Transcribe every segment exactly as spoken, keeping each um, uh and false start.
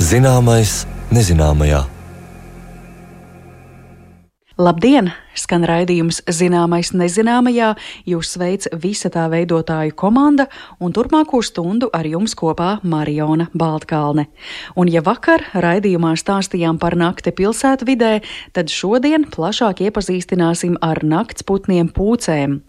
Zināmais nezināmajā. Labdien! Skan raidījums Zināmais nezināmajā, jūs sveic visa tā veidotāju komanda un turpmāko stundu ar jums kopā Mariona Baltkalne. Un ja vakar raidījumā stāstījām par nakti pilsētvidē, tad šodien plašāk iepazīstināsim ar naktsputniem pūcēm.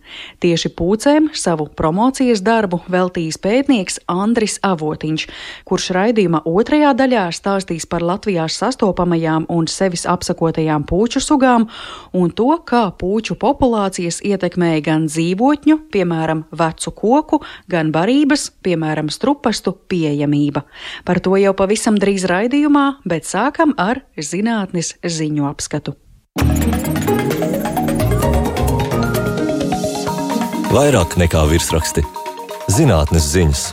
Tieši pūcēm savu promocijas darbu veltījis pētnieks Andris Avotiņš, kurš raidījuma otrajā daļā stāstīs par Latvijā sastopamajām un sevis apsakotajām pūču sugām un to, kā pūču populācijas ietekmēja gan dzīvotņu, piemēram, vecu koku, gan barības, piemēram, strupastu pieejamība. Par to jau pavisam drīz raidījumā, bet sākam ar zinātnes ziņu apskatu. Vairāk nekā virsraksti. Zinātnes ziņas.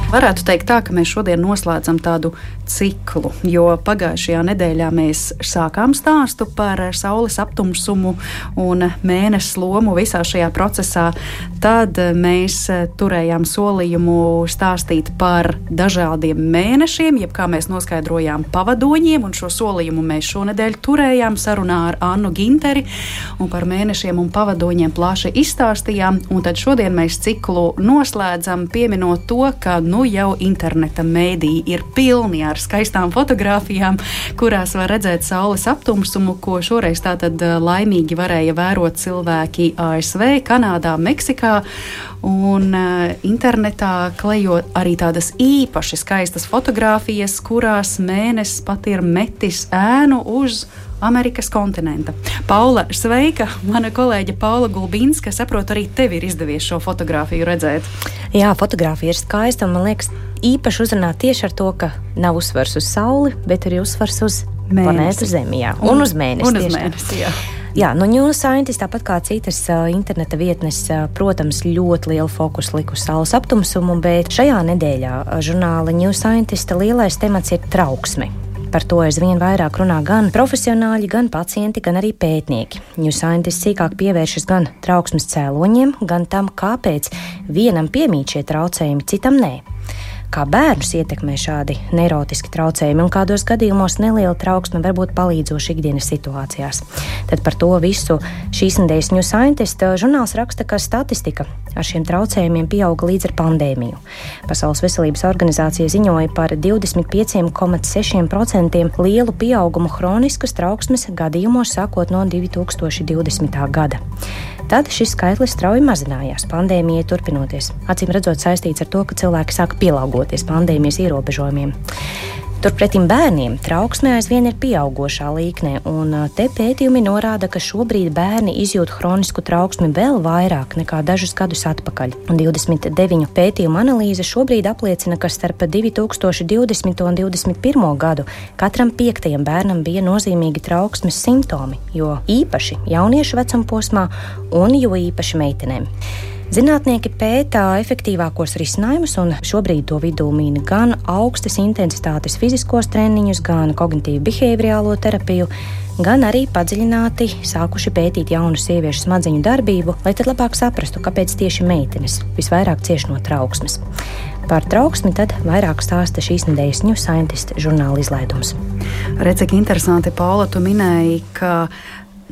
Varētu teikt tā, ka mēs šodien noslēdzam tādu ciklu, jo pagājušajā nedēļā mēs sākām stāstu par saules aptumsumu un mēness lomu visā šajā procesā. Tad mēs turējām solījumu stāstīt par dažādiem mēnešiem, jeb kā mēs noskaidrojām pavadoņiem, un šo solījumu mēs šonedēļ turējām sarunā ar Annu Ginteri, un par mēnešiem un pavadoņiem plaši izstāstījām, un tad šodien mēs ciklu noslēdzam, pieminot to, ka nu jau interneta mēdī ir pilni ar skaistām fotogrāfijām, kurās var redzēt saules aptumsumu, ko šoreiz tātad laimīgi varēja vērot cilvēki A S V, Kanādā, Meksikā, un uh, internetā klejo arī tādas īpaši skaistas fotogrāfijas, kurās mēnesis pat ir metis ēnu uz Amerikas kontinenta. Paula, sveika! Mana kolēģe Paula Gulbinska, saprotu, arī tev ir izdevies šo fotogrāfiju redzēt. Jā, fotogrāfija ir skaista, un man liekas īpaši uzrunā tieši ar to, ka nav uzsvars uz sauli, bet arī uzsvars uz planētu Zemi, jā. Un, un uz mēnesi. Un uz mēnesi, jā. Jā, nu New Scientist, tāpat kā citas uh, interneta vietnes, uh, protams, ļoti lielu fokusu liku uz saules aptumsumu, bet šajā nedēļā uh, žurnāla New Scientist lielais temats ir trauksme. Par to aizvien vairāk runā gan profesionāļi, gan pacienti, gan arī pētnieki. New Scientist sīkāk pievēršas gan trauksmes cēloņiem, gan tam, kāpēc vienam piemīt šie traucējumi, citam nē. Kā bērnus ietekmē šādi neirotiski traucējumi un kādos gadījumos neliela trauksme var būt palīdzoša ikdienas situācijās. Tad par to visu šīs nedēļas New Scientist žurnāls raksta, ka statistika ar šiem traucējumiem pieauga līdz ar pandēmiju. Pasaules veselības organizācija ziņoja par divdesmit pieci komats seši procenti lielu pieaugumu hroniskas trauksmes gadījumos sākot no divi tūkstoši divdesmitā gada. Tad šis skaitlis strauji mazinājās pandēmijai turpinoties. Acīm redzot saistīts ar to, ka cilvēki sāka pielāgoties pandēmijas ierobežojumiem. Turpretim bērniem trauksme aizvien ir pieaugošā līknē, un te pētījumi norāda, ka šobrīd bērni izjūt hronisku trauksmi vēl vairāk nekā dažus gadus atpakaļ. Un divdesmit deviņu pētījumu analīze šobrīd apliecina, ka starp divi tūkstoši divdesmito un divdesmit pirmo gadu katram piektajam bērnam bija nozīmīgi trauksmes simptomi, jo īpaši jauniešu vecumposmā un jo īpaši meitenēm. Zinātnieki pētā efektīvākos risinājumus, un šobrīd to vidū min gan augstas intensitātes fiziskos treniņus, gan kognitīvu behaviorālo terapiju, gan arī padziļināti sākuši pētīt jaunu sieviešu smadzeņu darbību, lai tad labāk saprastu, kāpēc tieši meitenes visvairāk cieš no trauksmes. Par trauksmi tad vairāk stāsta šīs nedēļas New Scientist žurnāla izlaidums. Redz, cik interesanti, Paula, tu minēji, ka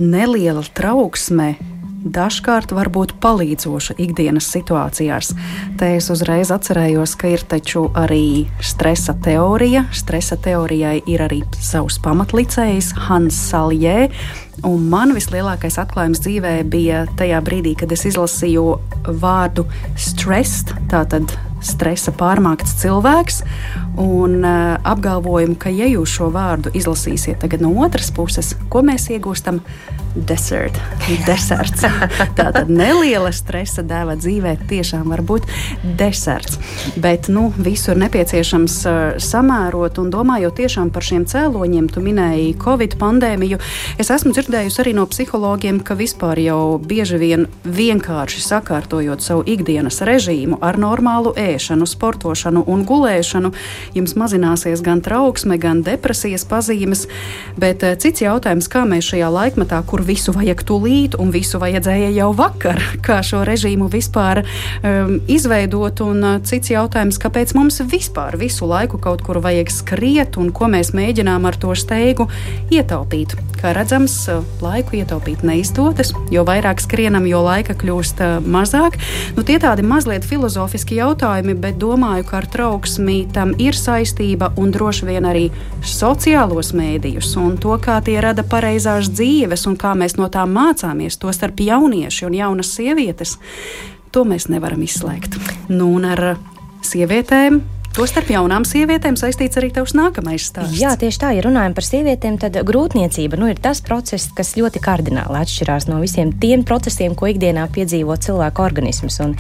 neliela trauksme dažkārt var būt palīdzoša ikdienas situācijās. Te es uzreiz atcerējos, ka ir taču arī stresa teorija. Stresa teorijai ir arī savs pamatlicējs Hans Saljē, un man vislielākais atklājums dzīvē bija tajā brīdī, kad es izlasīju vārdu stressed, tātad stresa pārmākts cilvēks, un uh, apgalvojumu, ka ja jūs šo vārdu izlasīsiet tagad no otras puses, ko mēs iegūstam? Desert, deserts. Tātad neliela stresa dēva dzīvē tiešām var būt deserts. Bet, nu, visu ir nepieciešams uh, samērot, un domājot tiešām par šiem cēloņiem, tu minēji Covid pandēmiju. Es esmu dzirdējusi arī no psihologiem, ka vispār jau bieži vien vienkārši sakārtojot savu ikdienas režīmu ar normālu ēšanu, sportošanu un gulēšanu, jums mazināsies gan trauksme, gan depresijas pazīmes, bet uh, cits jautājums, kā mēs šajā laikmetā, kur visu vajag tūlīt un visu vajadzēja jau vakar, kā šo režīmu vispār um, izveidot, un uh, cits jautājums, kāpēc mums vispār visu laiku kaut kur vajag skriet un ko mēs mēģinām ar to steigu ietaupīt. Kā redzams, laiku ietaupīt neizdodas, jo vairāk skrienam, jo laika kļūst uh, mazāk. Nu, tie tādi mazliet filozofiski jautājumi, bet domāju, ka ar trauksmi tam ir saistība un droši vien arī sociālos mēdījus un to, kā tie rada pareizās dzīves un kā mēs no tām mācāmies, to starp jaunieši un jaunas sievietes, to mēs nevaram izslēgt. Nu, un ar sievietēm, to starp jaunām sievietēm saistīts arī tavs nākamais stāsts. Jā, tieši tā, ja runājam par sievietēm, tad grūtniecība nu, ir tas process, kas ļoti kardināli atšķirās no visiem tiem procesiem, ko ikdienā piedzīvo cilvēka organisms. Un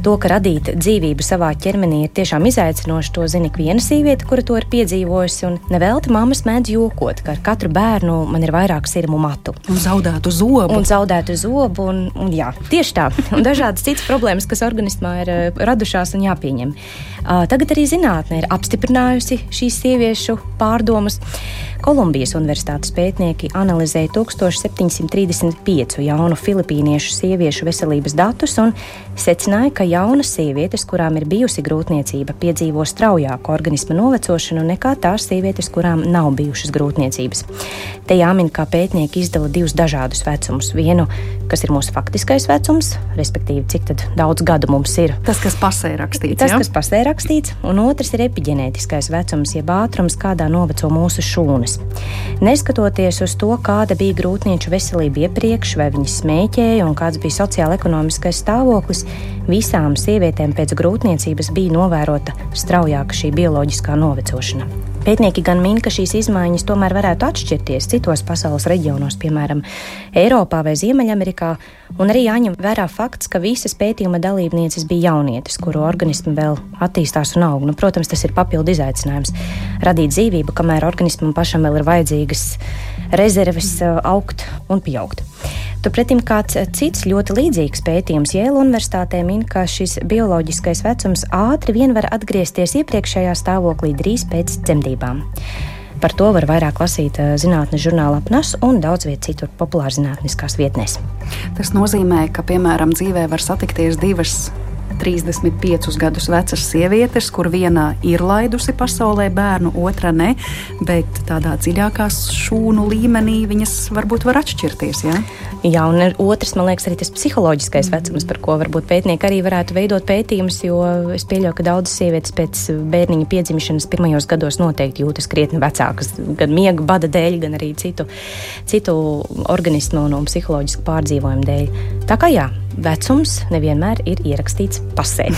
to, ka radīt dzīvību savā ķermenī ir tiešām izaicinoši, to zina ik viena sieviete, kura to ir piedzīvojusi. Un nevelti mammas mēdz jokot, ka ar katru bērnu man ir vairāk sirmu matu. Un zaudētu zobu. Un zaudētu zobu, un, un jā, tieši tā. Un dažādas citas problēmas, kas organismā ir radušās un jāpieņem. Uh, tagad arī zinātne ir apstiprinājusi šīs sieviešu pārdomas. Kolumbijas universitātes pētnieki analizēja tūkstoš septiņsimt trīsdesmit pieci jaunu filipīniešu sieviešu veselības datus un secināja, ka jaunas sievietes, kurām ir bijusi grūtniecība, piedzīvo straujāku organisma novecošanu nekā tās sievietes, kurām nav bijušas grūtniecības. Te jāmin, kā pētnieki izdala divus dažādus vecumus. Vienu, kas ir mūsu faktiskais vecums, respektīvi, cik tad daudz gadu mums ir. Tas, kas pasē rakstīts. Tas, ja? kas pasē rakstīts, un otrs ir epiģenētiskais vecums, jeb ātrums, kādā noveco mūsu šūnas. Neskatoties uz to, kāda bija grūtnieču veselība iepriekš, vai viņas smēķēja un kāds bija sociāla-ekonomiskais stāvoklis, visām sievietēm pēc grūtniecības bija novērota straujāka šī bioloģiskā novecošana. Pētnieki gan min, ka šīs izmaiņas tomēr varētu atšķirties citos pasaules reģionos, piemēram, Eiropā vai Ziemeļamerikā, un arī jāņem vērā fakts, ka visas pētījuma dalībnieces bija jaunietes, kuru organismi vēl attīstās un aug. Nu, protams, tas ir papildu izaicinājums radīt dzīvību, kamēr organismam pašam vēl ir vajadzīgas rezerves augt un pieaugt. Turpretim kāds cits ļoti līdzīgs pētījums Jēla universitātē min, ka šis bioloģiskais vecums ātri vien var atgriezties iepriekšējā stāvoklī drīz pēc dzemdībām. Par to var vairāk lasīt zinātnes žurnālā P N A S un daudz viet citur populārzinātniskās vietnēs. Tas nozīmē, ka, piemēram, dzīvē var satikties divas trīsdesmit piecus gadus vecas sievietes, kur viena ir laidusi pasaulē bērnu, otra ne, bet tādā dziļākā šūnu līmenī viņas varbūt var atšķirties, jā? Jā, un otrs, man liekas, arī tas psiholoģiskais vecums, par ko varbūt pētnieki arī varētu veidot pētījumus, jo es pieļauju, ka daudzas sievietes pēc bērniņa piedzimšanas pirmajos gados noteikti jūtas krietni vecākas, gan miega bada dēļ, gan arī citu, citu organismu un psiholoģisku pārdzīvojumu dēļ. Tā kā jā, vecums nevienmēr ir ierakstīts pasē.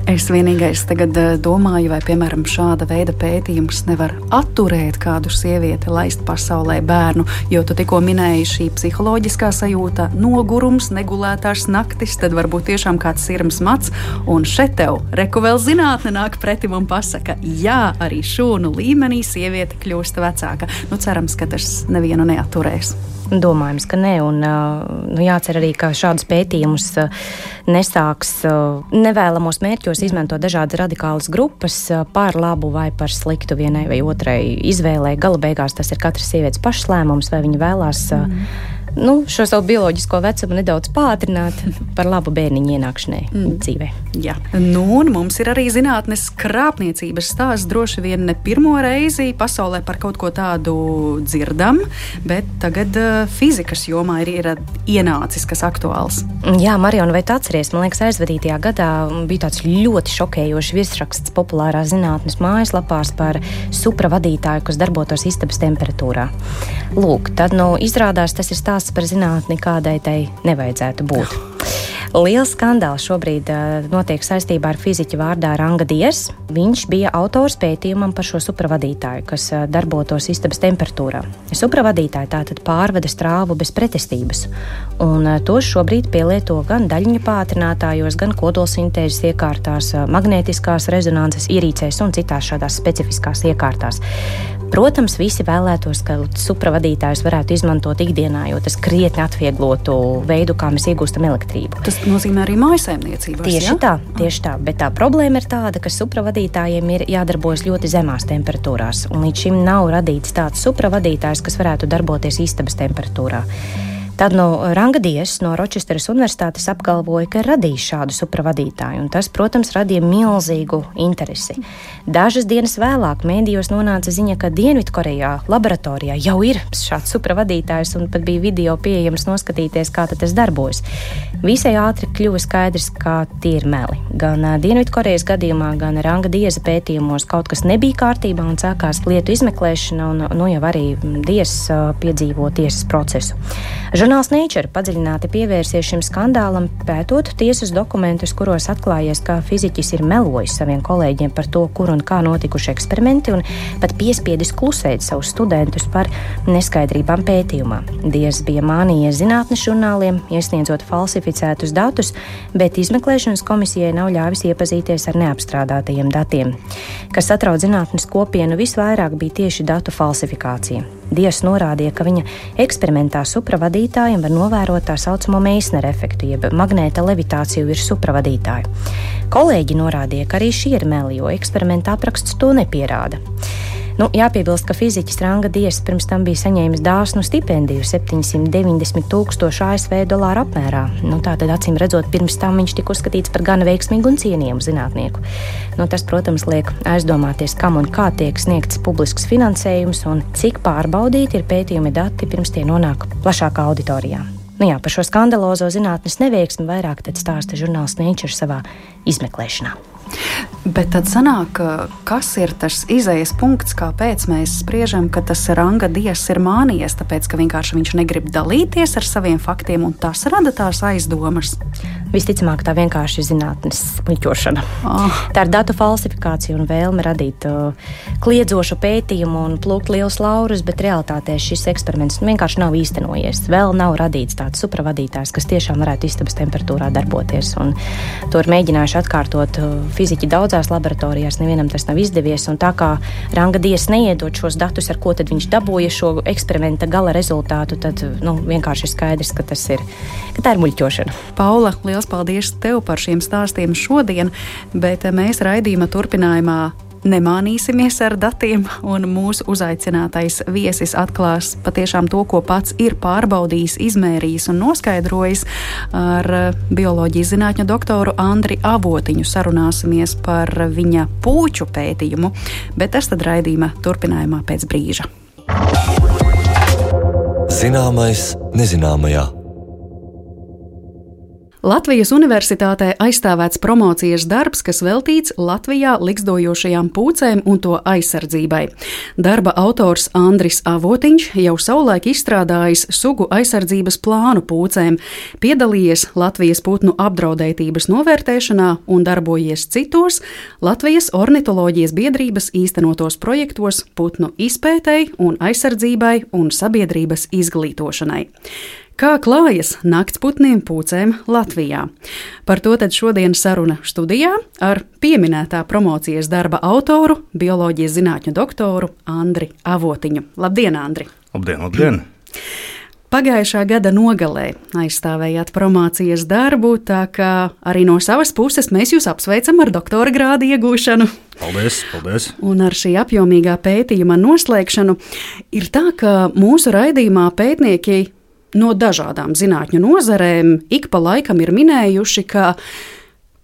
Es vienīgais tagad domāju, vai, piemēram, šāda veida pētījums nevar atturēt kādu sievieti laist pasaulē bērnu, jo tu tikko minēji šī psiholoģiskā sajūta, nogurums, negulētās naktis, tad varbūt tiešām kāds sirms mats, un šeit tev reku vēl zinātne nāk pretim un pasaka, jā, arī šūnu līmenī sieviete kļūst vecāka. Nu, cerams, ka tas nevienu neatturēs. Domājams, ka ne, un nu, jācer arī, ka šādus pētījumus nesāks nevēlamos mērķos izmantot dažādas radikālas grupas par labu vai par sliktu vienai vai otrai izvēlē. Gala beigās tas ir katras sievietes pašas lēmums, vai viņa vēlās mm. nu, šo savu bioloģisko vecumu nedaudz pātrināt par labu bērniņu ienākšanai mm. dzīvē. Jā. Nu, un mums ir arī zinātnes krāpniecības stāsts, droši vien ne pirmo reizi pasaulē par kaut ko tādu dzirdam, bet tagad uh, fizikas jomā ir, ir ienācis kas aktuāls. Jā, Mariona, vai tu atceries? Man liekas, aizvadītajā gadā bija tāds ļoti šokējošs virsraksts populārās zinātnes mājaslapās par supravadītāju, kas darbotos istabas temperatūrā. Lūk, tad, nu, izrādās tas ir stāsts par zinātni, kādai tai nevajadzētu būt. Liels skandāls šobrīd uh, notiek saistībā ar fiziķu vārdā Ranga Diers. Viņš bija autors pētījumam par šo supravadītāju, kas uh, darbotos istabas temperatūrā. Supravadītāji tātad pārveda strāvu bez pretestības, un uh, tos šobrīd pielieto gan daļiņu pātrinātājos, gan kodolsintēzes iekārtās, uh, magnētiskās rezonances ierīcēs un citās šādās specifiskās iekārtās. Protams, visi vēlētos, ka supravadītājus varētu izmantot ikdienā, jo tas krietni atvieglotu veidu, kā mēs iegūstam elektrību. Tas nozīmē arī mājasaimniecībās, tieši ja? tā, tieši tā, bet tā problēma ir tāda, ka supravadītājiem ir jādarbojas ļoti zemās temperatūrās, un līdz šim nav radīts tāds supravadītājs, kas varētu darboties istabas temperatūrā. Tad no Ranga Diess no Ročesteras universitātes apgalvoja, ka ir radījis šādu supravadītāju, un tas, protams, radīja milzīgu interesi. Dažas dienas vēlāk mēdījos nonāca ziņa, ka Dienvidkorejā laboratorijā jau ir šāds supravadītājs, un pat bija video pieejams noskatīties, kā tas darbojas. Visai ātri kļuva skaidrs, ka tie ir meli. Gan Dienvidkorejas gadījumā, gan Ranga Diesa pētījumos kaut kas nebija kārtībā un sākās lietu izmeklēšana, un nu jau arī Diess piedzīvo tiesas procesu. Žurnāls Nature padziļināti pievērsies šim skandālam, pētot tiesas dokumentus, kuros atklājies, ka fiziķis ir melojis saviem kolēģiem par to, kur un kā notikuši eksperimenti, un pat piespiedis klusēt savus studentus par neskaidrībām pētījumā. Diess bija mānījies zinātnes žurnāliem, iesniedzot falsificētus datus, bet izmeklēšanas komisijai nav ļāvis iepazīties ar neapstrādātajiem datiem. Kas satrauc zinātnes kopienu visvairāk bija tieši datu falsifikācija. Diess norādīja, ka viņa eksperimentā supravadītājiem var novērot tā saucamo Meisnera efektu, jeb magnēta levitāciju virs supravadītāju. Kolēģi norādīja, ka arī šī ir meli, jo eksperimenta apraksts to nepierāda. Nu, jāpiebilst, ka fiziķis Ranga Diess pirms tam bija saņēmis dāsnu stipendiju septiņsimt deviņdesmit tūkstoši A S V dolāru apmērā. Nu, tātad, acīm redzot, pirms tam viņš tika uzskatīts par gana veiksmīgu un cienījumu zinātnieku. Nu, tas, protams, liek aizdomāties, kam un kā tiek sniegts publisks finansējums un cik pārbaudīti ir pētījumi dati, pirms tie nonāk plašākā auditorijā. Nu jā, par šo skandalozo zinātnes neveiksmi vairāk tad stāsta žurnāls Nature savā izmeklēšanā. Bet tad sanāk, kas ir tas izejas punkts, kāpēc mēs spriežam, ka tas Ranga Diess ir mānījies, tāpēc, ka vienkārši viņš negrib dalīties ar saviem faktiem, un tas rada tās aizdomas? Visticamāk, tā vienkārši ir zinātnes muļķošana. Oh. Tā ir datu falsifikācija un vēlme radīt uh, kliedzošu pētījumu un plūkt lielus laurus, bet realitātē šis eksperiments vienkārši nav īstenojies. Vēl nav radīts tāds supravadītājs, kas tiešām varētu istabas temperatūrā darboties. Un to ir mēģinājuši atkārtot uh, fiziķi daudzās laboratorijās, nevienam tas nav izdevies. Un tā kā Ranga Diess neiedod šos datus, ar ko tad viņš dabūja šo eksperimenta gala rezultātu, tad nu, vienkārši ir skaidrs, ka tas ir, ka tā ir muļķošana. Paula, liels paldies tev par šiem stāstiem šodien, bet mēs raidījuma turpinājumā nemānīsimies ar datiem, un mūsu uzaicinātais viesis atklās patiešām to, ko pats ir pārbaudījis, izmērījis un noskaidrojis. Ar bioloģijas zinātņu doktoru Andri Avotiņu sarunāsimies par viņa pūču pētījumu, bet tas tad raidījuma turpinājumā pēc brīža. Zināmais nezināmajā. Latvijas Universitātē aizstāvēts promocijas darbs, kas veltīts Latvijā likstojošajām pūcēm un to aizsardzībai. Darba autors Andris Avotiņš jau savulaik izstrādājis sugu aizsardzības plānu pūcēm, piedalījies Latvijas putnu apdraudētības novērtēšanā un darbojies citos Latvijas ornitoloģijas biedrības īstenotos projektos putnu izpētei un aizsardzībai un sabiedrības izglītošanai. Kā klājas naktsputniem pūcēm Latvijā? Par to tad šodien saruna studijā ar pieminētā promocijas darba autoru, bioloģijas zinātņu doktoru Andri Avotiņu. Labdien, Andri! Labdien, labdien! Pagājušā gada nogalē aizstāvējāt promocijas darbu, tā kā arī no savas puses mēs jūs apsveicam ar doktora grāda iegūšanu. Paldies, paldies! Un ar šī apjomīgā pētījuma noslēgšanu ir tā, ka mūsu raidījumā pētnieki no dažādām zinātņu nozarēm ik pa laikam ir minējuši, ka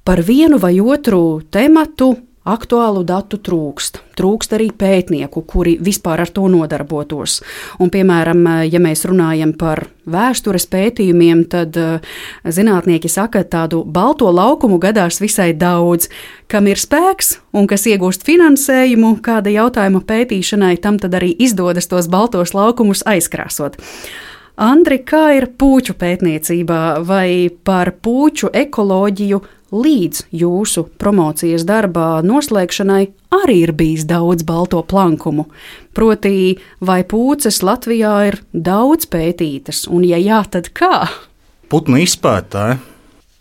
par vienu vai otru tematu aktuālu datu trūkst. Trūkst arī pētnieku, kuri vispār ar to nodarbotos. Un, piemēram, ja mēs runājam par vēstures pētījumiem, tad zinātnieki saka, ka tādu balto laukumu gadās visai daudz. Kam ir spēks un kas iegūst finansējumu kāda jautājuma pētīšanai, tam tad arī izdodas tos baltos laukumus aizkrāsot. Andri, kā ir pūču pētniecībā, vai par pūču ekoloģiju līdz jūsu promocijas darbā noslēgšanai arī ir bijis daudz balto plankumu? Proti, vai pūces Latvijā ir daudz pētītas, un ja jā, tad kā? Putnu izpētāji,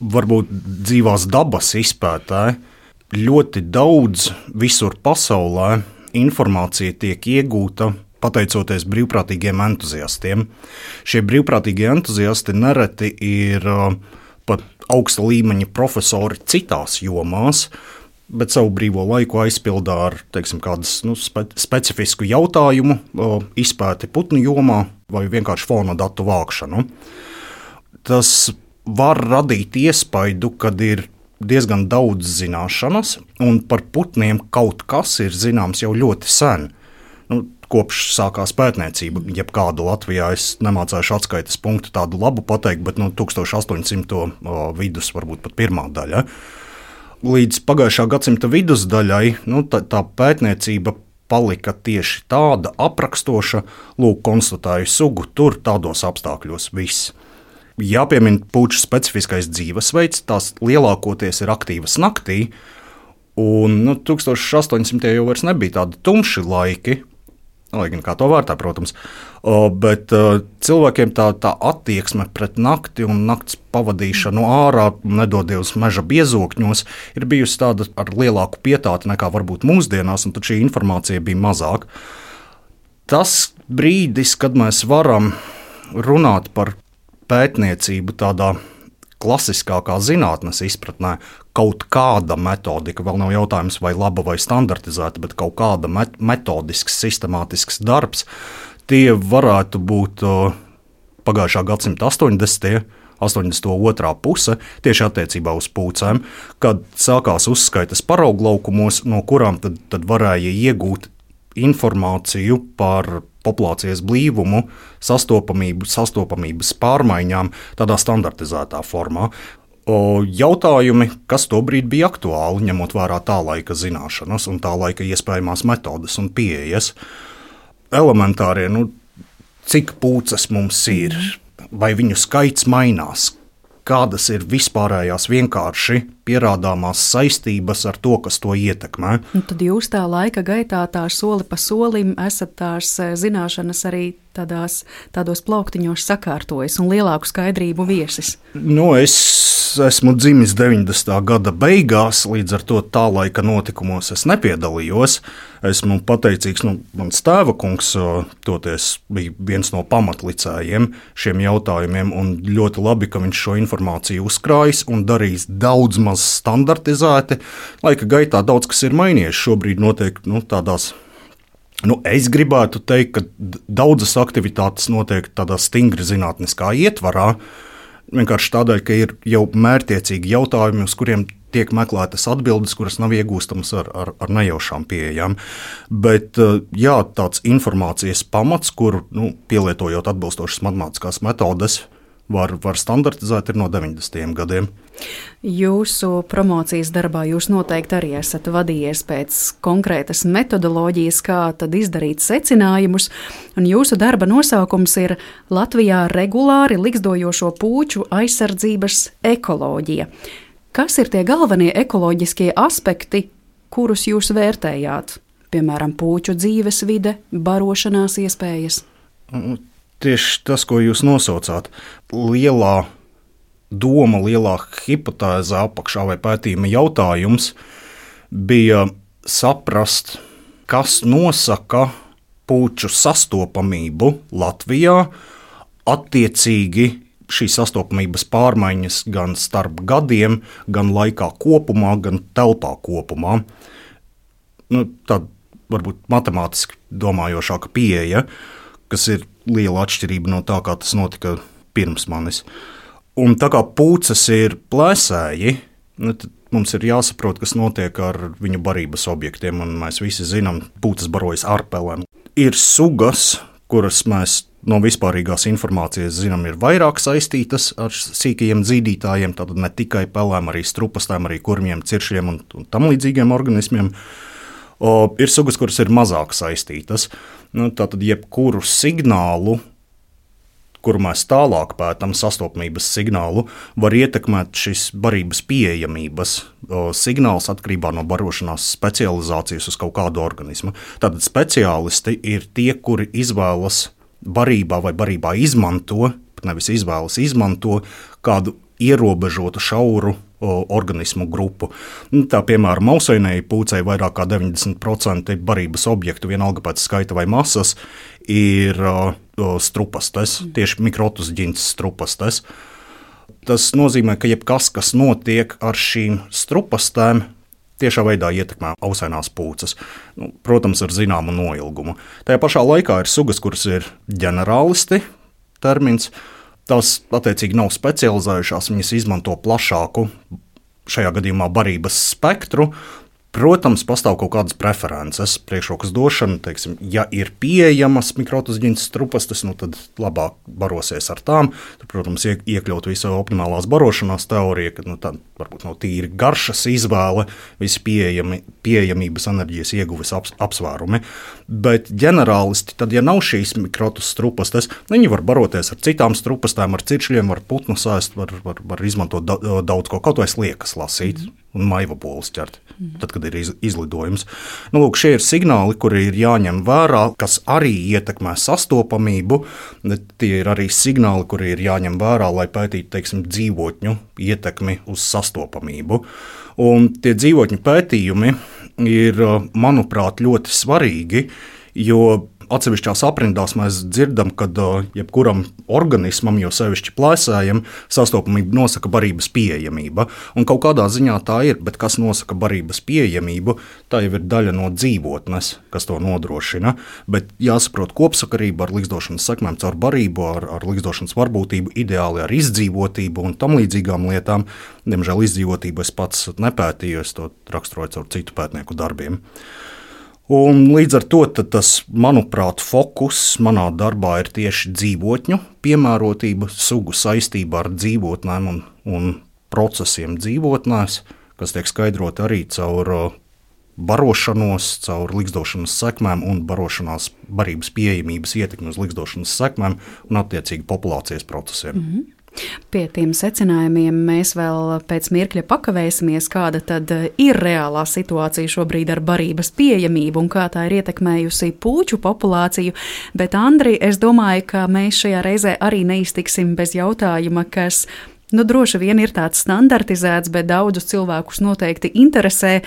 varbūt dzīvās dabas izpētāji, ļoti daudz visur pasaulē informācija tiek iegūta pateicoties brīvprātīgiem entuziastiem. Šie brīvprātīgie entuziasti nereti ir uh, pat augsta līmeņa profesori citās jomās, bet savu brīvo laiku aizpildā ar teiksim, kādas nu, spe, specifisku jautājumu o, izpēti putnu jomā vai vienkārši fona datu vākšanu. Tas var radīt iespaidu, kad ir diezgan daudz zināšanas, un par putniem kaut kas ir zināms jau ļoti sen. Nu, kopš sākās pētniecība, jebkādu Latvijā es nemācēšu atskaites punktu tādu labu pateikt, bet no tūkstoš astoņsimto vidus varbūt pat pirmā daļa. Līdz pagājušā gadsimta vidusdaļai nu, tā, tā pētniecība palika tieši tāda aprakstoša, lūk, konstatēju sugu, tur tādos apstākļos viss. Jāpiemina puču specifiskais dzīvesveids, tās lielākoties ir aktīvas naktī, un nu, tūkstoš astoņsimtie jau vairs nebija tādi tumši laiki, lai gan kā to vērtē, protams, o, bet uh, cilvēkiem tā, tā attieksme pret nakti un nakts pavadīšanu ārā, nedodies meža biezokņos, ir bijusi tāda ar lielāku pietāti nekā varbūt mūsdienās, un tad šī informācija bija mazāk. Tas brīdis, kad mēs varam runāt par pētniecību tādā klasiskākā zinātnes izpratnē, kaut kāda metodika, vēl nav jautājums, vai laba vai standartizēta, bet kaut kāda met- metodisks, sistemātisks darbs, tie varētu būt uh, pagājušā gadsimta astoņdesmitie, astoņdesmito otrā puse, tieši attiecībā uz pūcēm, kad sākās uzskaitas parauglaukumos, no kurām tad, tad varēja iegūt informāciju par populācijas blīvumu, sastopamību, sastopamības pārmaiņām tādā standartizētā formā. O, jautājumi, kas tobrīd bija aktuāli, ņemot vērā tā laika zināšanas un tā laika iespējamās metodes un pieejas. Elementārie, nu, cik pūces mums ir, vai viņu skaits mainās, kādas ir vispārējās vienkārši pierādāmās saistības ar to, kas to ietekmē. Un tad jūs tā laika gaitā tā soli pa solim esat tās zināšanas arī tādās, tādos plauktiņos sakārtojis un lielāku skaidrību viesis. Nu, es esmu dzimis deviņdesmitā gada beigās, līdz ar to tā laika notikumos es nepiedalījos. Esmu pateicīgs, nu, mans tēva kungs toties bija viens no pamatlicējiem šiem jautājumiem, un ļoti labi, ka viņš šo informāciju uzkrājis un darījis daudz maz standartizēti. Laika gaitā daudz kas ir mainījies. Šobrīd notiek nu, tādās, nu, es gribētu teikt, ka daudzas aktivitātes notiek tādā stingri zinātniskā ietvarā, vienkārši tādēļ, ka ir jau mērķtiecīgi jautājumi, uz kuriem tiek meklētas atbildes, kuras nav iegūstamas ar, ar, ar nejaušām pieejām. Bet jā, tāds informācijas pamats, kuru nu, pielietojot atbilstošas matemātiskās metodes, var, var standartizēt, ir no deviņdesmitajiem gadiem. Jūsu promocijas darbā jūs noteikti arī esat vadījies pēc konkrētas metodoloģijas, kā tad izdarīt secinājumus, un jūsu darba nosaukums ir Latvijā regulāri likstojošo pūču aizsardzības ekoloģija. Kas ir tie galvenie ekoloģiskie aspekti, kurus jūs vērtējāt? Piemēram, pūču dzīvesvide, barošanās iespējas? Tieši tas, ko jūs nosaucāt, lielā doma, lielā hipotēze apakšā vai pētījuma jautājums bija saprast, kas nosaka pūču sastopamību Latvijā, attiecīgi šīs sastopamības pārmaiņas gan starp gadiem, gan laikā kopumā, gan telpā kopumā. Nu, tāda varbūt matemātiski domājošāka pieeja, kas ir liela atšķirība no tā, kā tas notika pirms manis. Un tā kā pūces ir plēsēji, nu, tad mums ir jāsaprot, kas notiek ar viņu barības objektiem, un mēs visi zinām, pūces barojas ar pelēm. Ir sugas, kuras mēs no vispārīgās informācijas zinām, ir vairāk saistītas ar sīkajiem dzīdītājiem, tātad ne tikai pelēm, arī strupastēm, arī kurmiem, ciršiem un, un tam līdzīgiem organismiem. O, ir sugas, kuras ir mazāk saistītas. Nu, tātad jebkuru signālu, kuru mēs tālāk pētām, sastopamības signālu, var ietekmēt šis barības pieejamības o, signāls atkarībā no barošanās specializācijas uz kaut kādu organismu. Tātad speciālisti ir tie, kuri izvēlas barībā vai barībā izmanto, nevis izvēlas izmanto kādu ierobežotu šauru o, organismu grupu. Tā, piemēram, ausainēji pūcei vairāk kā deviņdesmit procenti barības objektu, vienalga pēc skaita vai masas, ir o, strupastes, tieši mikrotus ģints strupastes. Tas nozīmē, ka jebkas, kas notiek ar šīm strupastēm, tiešā veidā ietekmē ausainās pūces, nu, protams, ar zināmu noilgumu. Tajā pašā laikā ir sugas, kuras ir ģenerālisti termins. Tās attiecīgi nav specializējušās, viņas izmanto plašāku, šajā gadījumā barības spektru. Protams, pastāv kaut kādas preferences, priekšrokas došana, teiksim, ja ir pieejamas mikrotoziņas strupastes, nu tad labāk barosies ar tām. Tur, protams, iekļaut visu optimālās barošanās teoriju, ka nu, tā varbūt nav tīri garšas izvēle, visi pieejami, pieejamības enerģijas ieguves aps, apsvērumi. Bet ģenerālisti, tad, ja nav šīs mikrotas strupastes, viņi var baroties ar citām strupastēm, ar ciršļiem, var putnu sēst, var, var, var izmantot daudz ko, kaut vai sliekas lasīt. Un maiva bolas ķert, tad, kad ir iz, izlidojums. Nu, lūk, šie ir signāli, kuri ir jāņem vērā, kas arī ietekmē sastopamību. Tie ir arī signāli, kuri ir jāņem vērā, lai pētītu, teiksim, dzīvotņu ietekmi uz sastopamību. Un tie dzīvotņu pētījumi ir, manuprāt, ļoti svarīgi, jo atsevišķās aprindās mēs dzirdam, ka jebkuram organismam, jo sevišķi plēsējam, sastopamību nosaka barības pieejamība. Un kaut kādā ziņā tā ir, bet kas nosaka barības pieejamību, tā jau ir daļa no dzīvotnes, kas to nodrošina. Bet jāsaprot kopsakarība ar ligzdošanas sekmēm caur barību, ar, ar ligzdošanas varbūtību, ideāli ar izdzīvotību un tam līdzīgām lietām. Diemžēl izdzīvotību es pats nepētīju, es to raksturoju caur citu pētnieku darbiem. Un līdz ar to tas, manuprāt, fokus manā darbā ir tieši dzīvotņu piemērotība, sugu saistība ar dzīvotnēm un, un procesiem dzīvotnēs, kas tiek skaidroti arī caur barošanos, caur ligzdošanas sekmēm un barošanās barības pieejamības ietekmi uz ligzdošanas sekmēm un attiecīgi populācijas procesiem. Mm-hmm. Pie tiem secinājumiem mēs vēl pēc mirkļa pakavēsimies, kāda tad ir reālā situācija šobrīd ar barības pieejamību un kā tā ir ietekmējusi puču populāciju. Bet, Andri, es domāju, ka mēs šajā reizē arī neiztiksim bez jautājuma, kas nu, droši vien ir tāds standartizēts, bet daudzus cilvēkus noteikti interesē.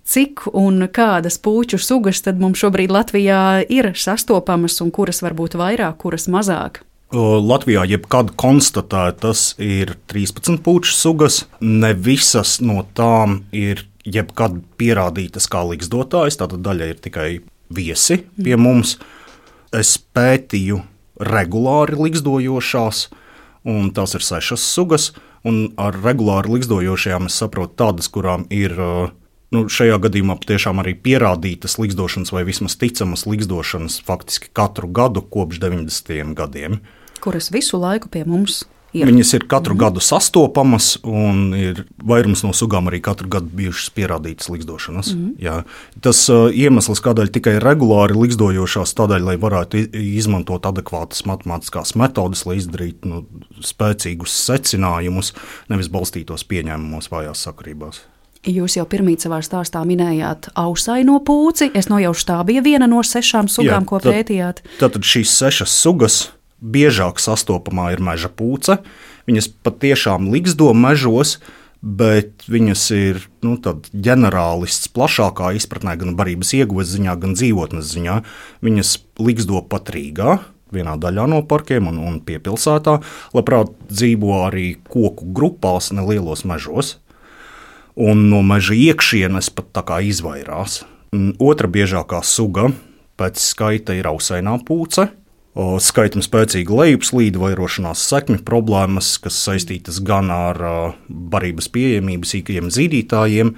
Cik un kādas puču sugas tad mums šobrīd Latvijā ir sastopamas un kuras varbūt vairāk, kuras mazāk? Latvijā jebkad konstatētas ir trīspadsmit puču sugas. Ne visas no tām ir jebkad pierādītas kā ligzdotājas, tātad daļa ir tikai viesi pie mums. Es pētīju regulāri ligzdojošās, un tās ir sešas sugas. Un ar regulāri ligzdojošajām es saprotu tādas, kurām ir nu, šajā gadījumā patiešām arī pierādītas ligzdošanas vai vismaz ticamas ligzdošanas faktiski katru gadu kopš deviņdesmitajiem gadiem. Kuras visu laiku pie mums ir? Viņas ir katru mm. gadu sastopamas un ir vairums no sugām arī katru gadu bijušas pierādītas ligzdošanas. Mm. Jā. Tas uh, iemesls, kādēļ tikai regulāri ligzdojošās, tādēļ, lai varētu izmantot adekvātas matemātiskās metodes, lai izdarītu nu, spēcīgus secinājumus, nevis balstītos pieņēmumos vājās sakarībās. Jūs jau pirmīt savā stāstā minējāt ausaino pūci. Es nojaušu, tā bija viena no sešām sugām, Jā, ko tad, pētījāt. Tātad šīs sešas sugas biežāk sastopamā ir meža pūce. Viņas patiešām ligzdo mežos, bet viņas ir nu, ģenerālists plašākā izpratnē, gan barības ieguves ziņā, gan dzīvotnes ziņā. Viņas ligzdo pat Rīgā, vienā daļā no parkiem un, un piepilsētā. Labprāt dzīvo arī koku grupās, nelielos mežos. Un no meža iekšienes pat tā kā izvairās. Otra biežākā suga pēc skaita ir ausainā pūce. Skaitam spēcīga lejupslīde, vairošanās sekmi problēmas, kas saistītas gan ar barības pieejamību sīkajiem zīdītājiem,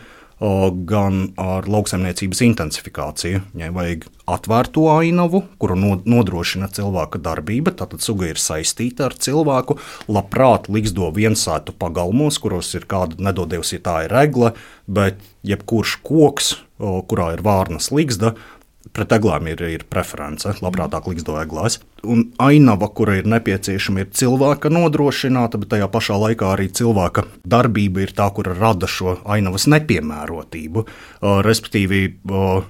gan ar lauksaimniecības intensifikāciju. Viņai vajag atvērto ainavu, kuru nodrošina cilvēka darbība, tātad suga ir saistīta ar cilvēku, labprāt ligzdo viensētu pagalmos, kuros ir kāda nedodievs, ja tā ir egle, bet jebkurš koks, kurā ir vārnas ligzda, pret eglām ir, ir preference, labprātāk ligzdo eglās. Un ainava, kura ir nepieciešama, ir cilvēka nodrošināta, bet tajā pašā laikā arī cilvēka darbība ir tā, kura rada šo ainavas nepiemērotību. Uh, respektīvi, uh,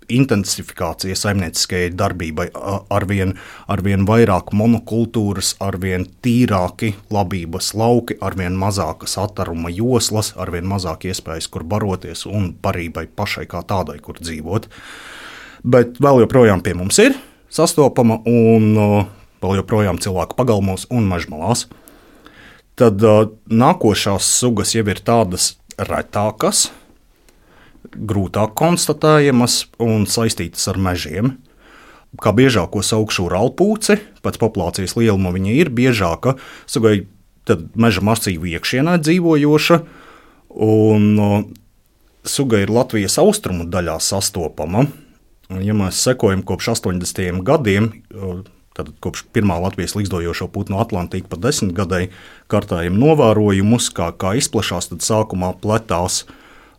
intensifikācija saimnieciskajai darbībai, uh, arvien, arvien vairāk monokultūras, arvien tīrāki labības lauki, arvien mazākas attaruma joslas, arvien mazāk iespējas, kur baroties un barībai pašai kā tādai, kur dzīvot. Bet vēl joprojām pie mums ir sastopama un uh, vēl joprojām cilvēku pagalmos un mežmalās. Tad uh, nākošās sugas jau ir tādas retākas, grūtāk konstatējamas un saistītas ar mežiem. Kā biežāko saukšu urālpūci, pēc populācijas lieluma viņa ir biežāka, sugai tad meža masīvu iekšienē dzīvojoša, un suga ir Latvijas austrumu daļā sastopama. Ja mēs sekojam kopš astoņdesmitajiem gadiem, tad kopš pirmā Latvijas ligzdojošo putnu Atlantika pa desmitgadēji kartējam novērojumus, kā, kā izplašās, tad sākumā pletās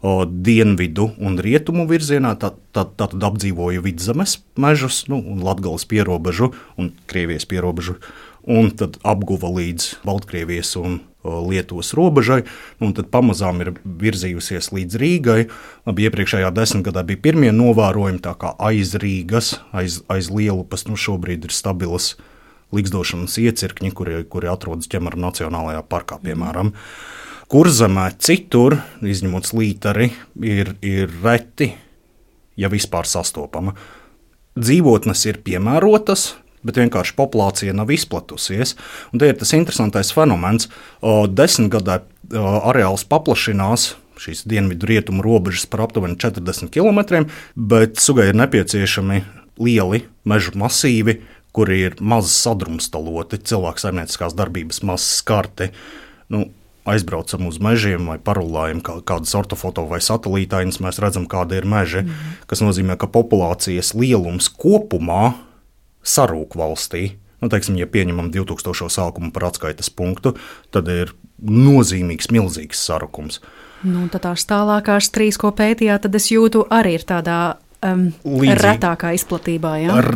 o, dienvidu un rietumu virzienā, tad, tad, tad apdzīvoja Vidzemes mežus, nu, un Latgales pierobežu un Krievijas pierobežu, un tad apguva līdz Baltkrievijas un o, Lietuvas robežai, un tad pamazām ir virzījusies līdz Rīgai. Labi, iepriekšējā desmitgadā bija pirmie novērojumi, tā kā aiz Rīgas, aiz, aiz Lielupas, nu šobrīd ir stabilas ligzdošanas iecirkņi, kuri, kuri atrodas Ķemera Nacionālajā parkā, piemēram. Kurzemē citur, izņemot Slīteri, ir, ir reti, ja vispār sastopama. Dzīvotnes ir piemērotas, bet vienkārši populācija nav izplatusies. Un te ir tas interesantais fenomens. Desmitgadē areāls paplašinās, šīs dienvidu rietumu robežas par aptuveni četrdesmit kilometriem, bet sugai ir nepieciešami lieli mežu masīvi, kuri ir maz sadrumstaloti, cilvēku saimnieciskās darbības maz skarti. Nu, aizbraucam uz mežiem vai parulājam kādas ortofoto vai satelītainas, mēs redzam, kāda ir meži, mm. kas nozīmē, ka populācijas lielums kopumā sarūk valstī. Nu, teiksim, ja pieņemam divtūkstošo sākumu par atskaites punktu, tad ir nozīmīgs, milzīgs sarukums. Nu, tad tās tālākās trīs, ko pētījāt, tad es jūtu arī ir tādā um, retākā izplatībā, jā? Ar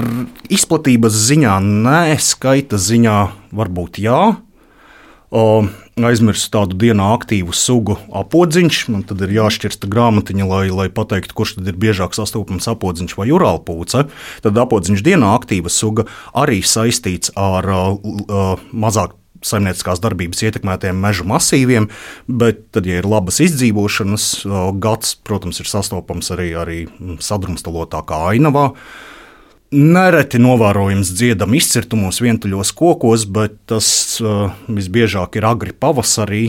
izplatības ziņā nē, skaita ziņā varbūt jā. O, aizmirsu tādu dienā aktīvu sugu apodziņš, man tad ir jāšķirsta grāmatiņa, lai, lai pateiktu, kurš tad ir biežāk sastopams apodziņš vai urālpūce. Tad apodziņš dienā aktīva suga arī saistīts ar uh, uh, mazāk saimnieciskās darbības ietekmētiem mežu masīviem, bet tad, ja ir labas izdzīvošanas uh, gads, protams, ir sastopams arī, arī sadrumstalotākā ainavā. Nereti novērojams dziedam izcirtumos vientuļos kokos, bet tas uh, visbiežāk ir agri pavasarī,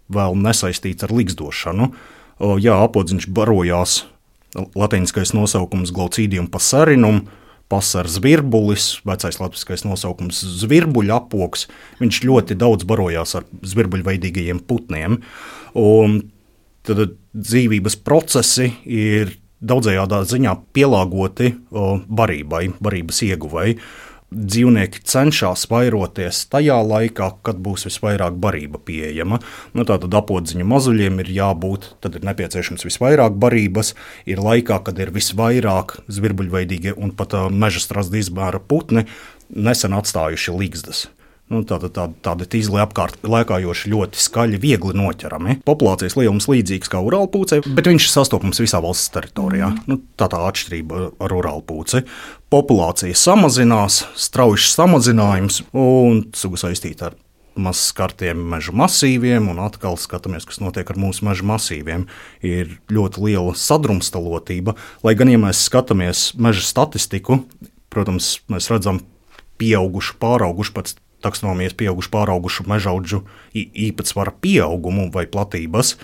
vēl nesaistīts ar ligzdošanu. Uh, jā, apodziņš barojās, latīniskais nosaukums Glaucidium passerinum, pasers virbulis, vecais latviskais nosaukums zvirbuļa apoks. Viņš ļoti daudz barojās ar zvirbuļveidīgajiem putniem. Un tad dzīvības procesi ir daudzējādā ziņā pielāgoti o, barībai, barības ieguvai. Dzīvnieki cenšas vairoties tajā laikā, kad būs visvairāk barība pieejama. Nu, tātad apodziņu mazuļiem ir jābūt, tad ir nepieciešams visvairāk barības, ir laikā, kad ir visvairāk zvirbuļveidīgie un pat uh, meža strazda izmēra putni nesen atstājuši ligzdas. Nu, tāda, tāda, tāda tīzli apkārt lēkājoši ļoti skaļi, viegli noķerami. Populācijas lielums līdzīgs kā urālpūcei, bet viņš ir sastopams visā valsts teritorijā. Nu, tā tā atšķirība ar urālpūci. Populācija samazinās, strauji samazinājums un suga saistīta ar maz skartiem mežu masīviem, un atkal skatāmies, kas notiek ar mūsu mežu masīviem. Ir ļoti liela sadrumstalotība, lai gan, ja mēs skatāmies meža statistiku, protams, mēs redzam pieaugušu, pāraugušu pēc taksonomijas pieaugušu, pāraugušu mežaudžu īpatsvara pieaugumu vai platības,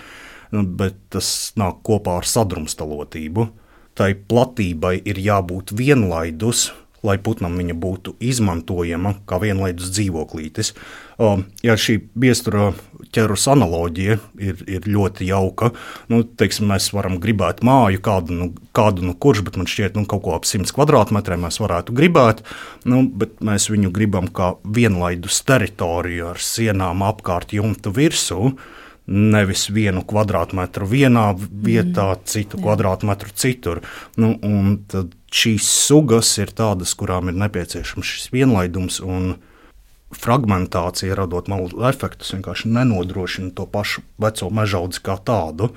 bet tas nāk kopā ar sadrumstalotību. Tai platībai ir jābūt vienlaidus, lai putnam viņa būtu izmantojama kā vienlaidus dzīvoklītis. Ja šī biestura ķerus analoģija ir, ir ļoti jauka, nu, teiksim, mēs varam gribēt māju, kādu nu, kādu nu kurš, bet man šķiet, nu, kaut ko ap simts kvadrātmetriem mēs varētu gribēt, nu, bet mēs viņu gribam kā vienlaidus teritoriju ar sienām apkārt jumta virsū, nevis vienu kvadrātmetru vienā vietā, mm, citu jā. kvadrātmetru citur. Nu, un tad šīs sugas ir tādas, kurām ir nepieciešams šis vienlaidums, un fragmentācija, radot malu efektus, vienkārši nenodrošina to pašu veco mežaudzi kā tādu.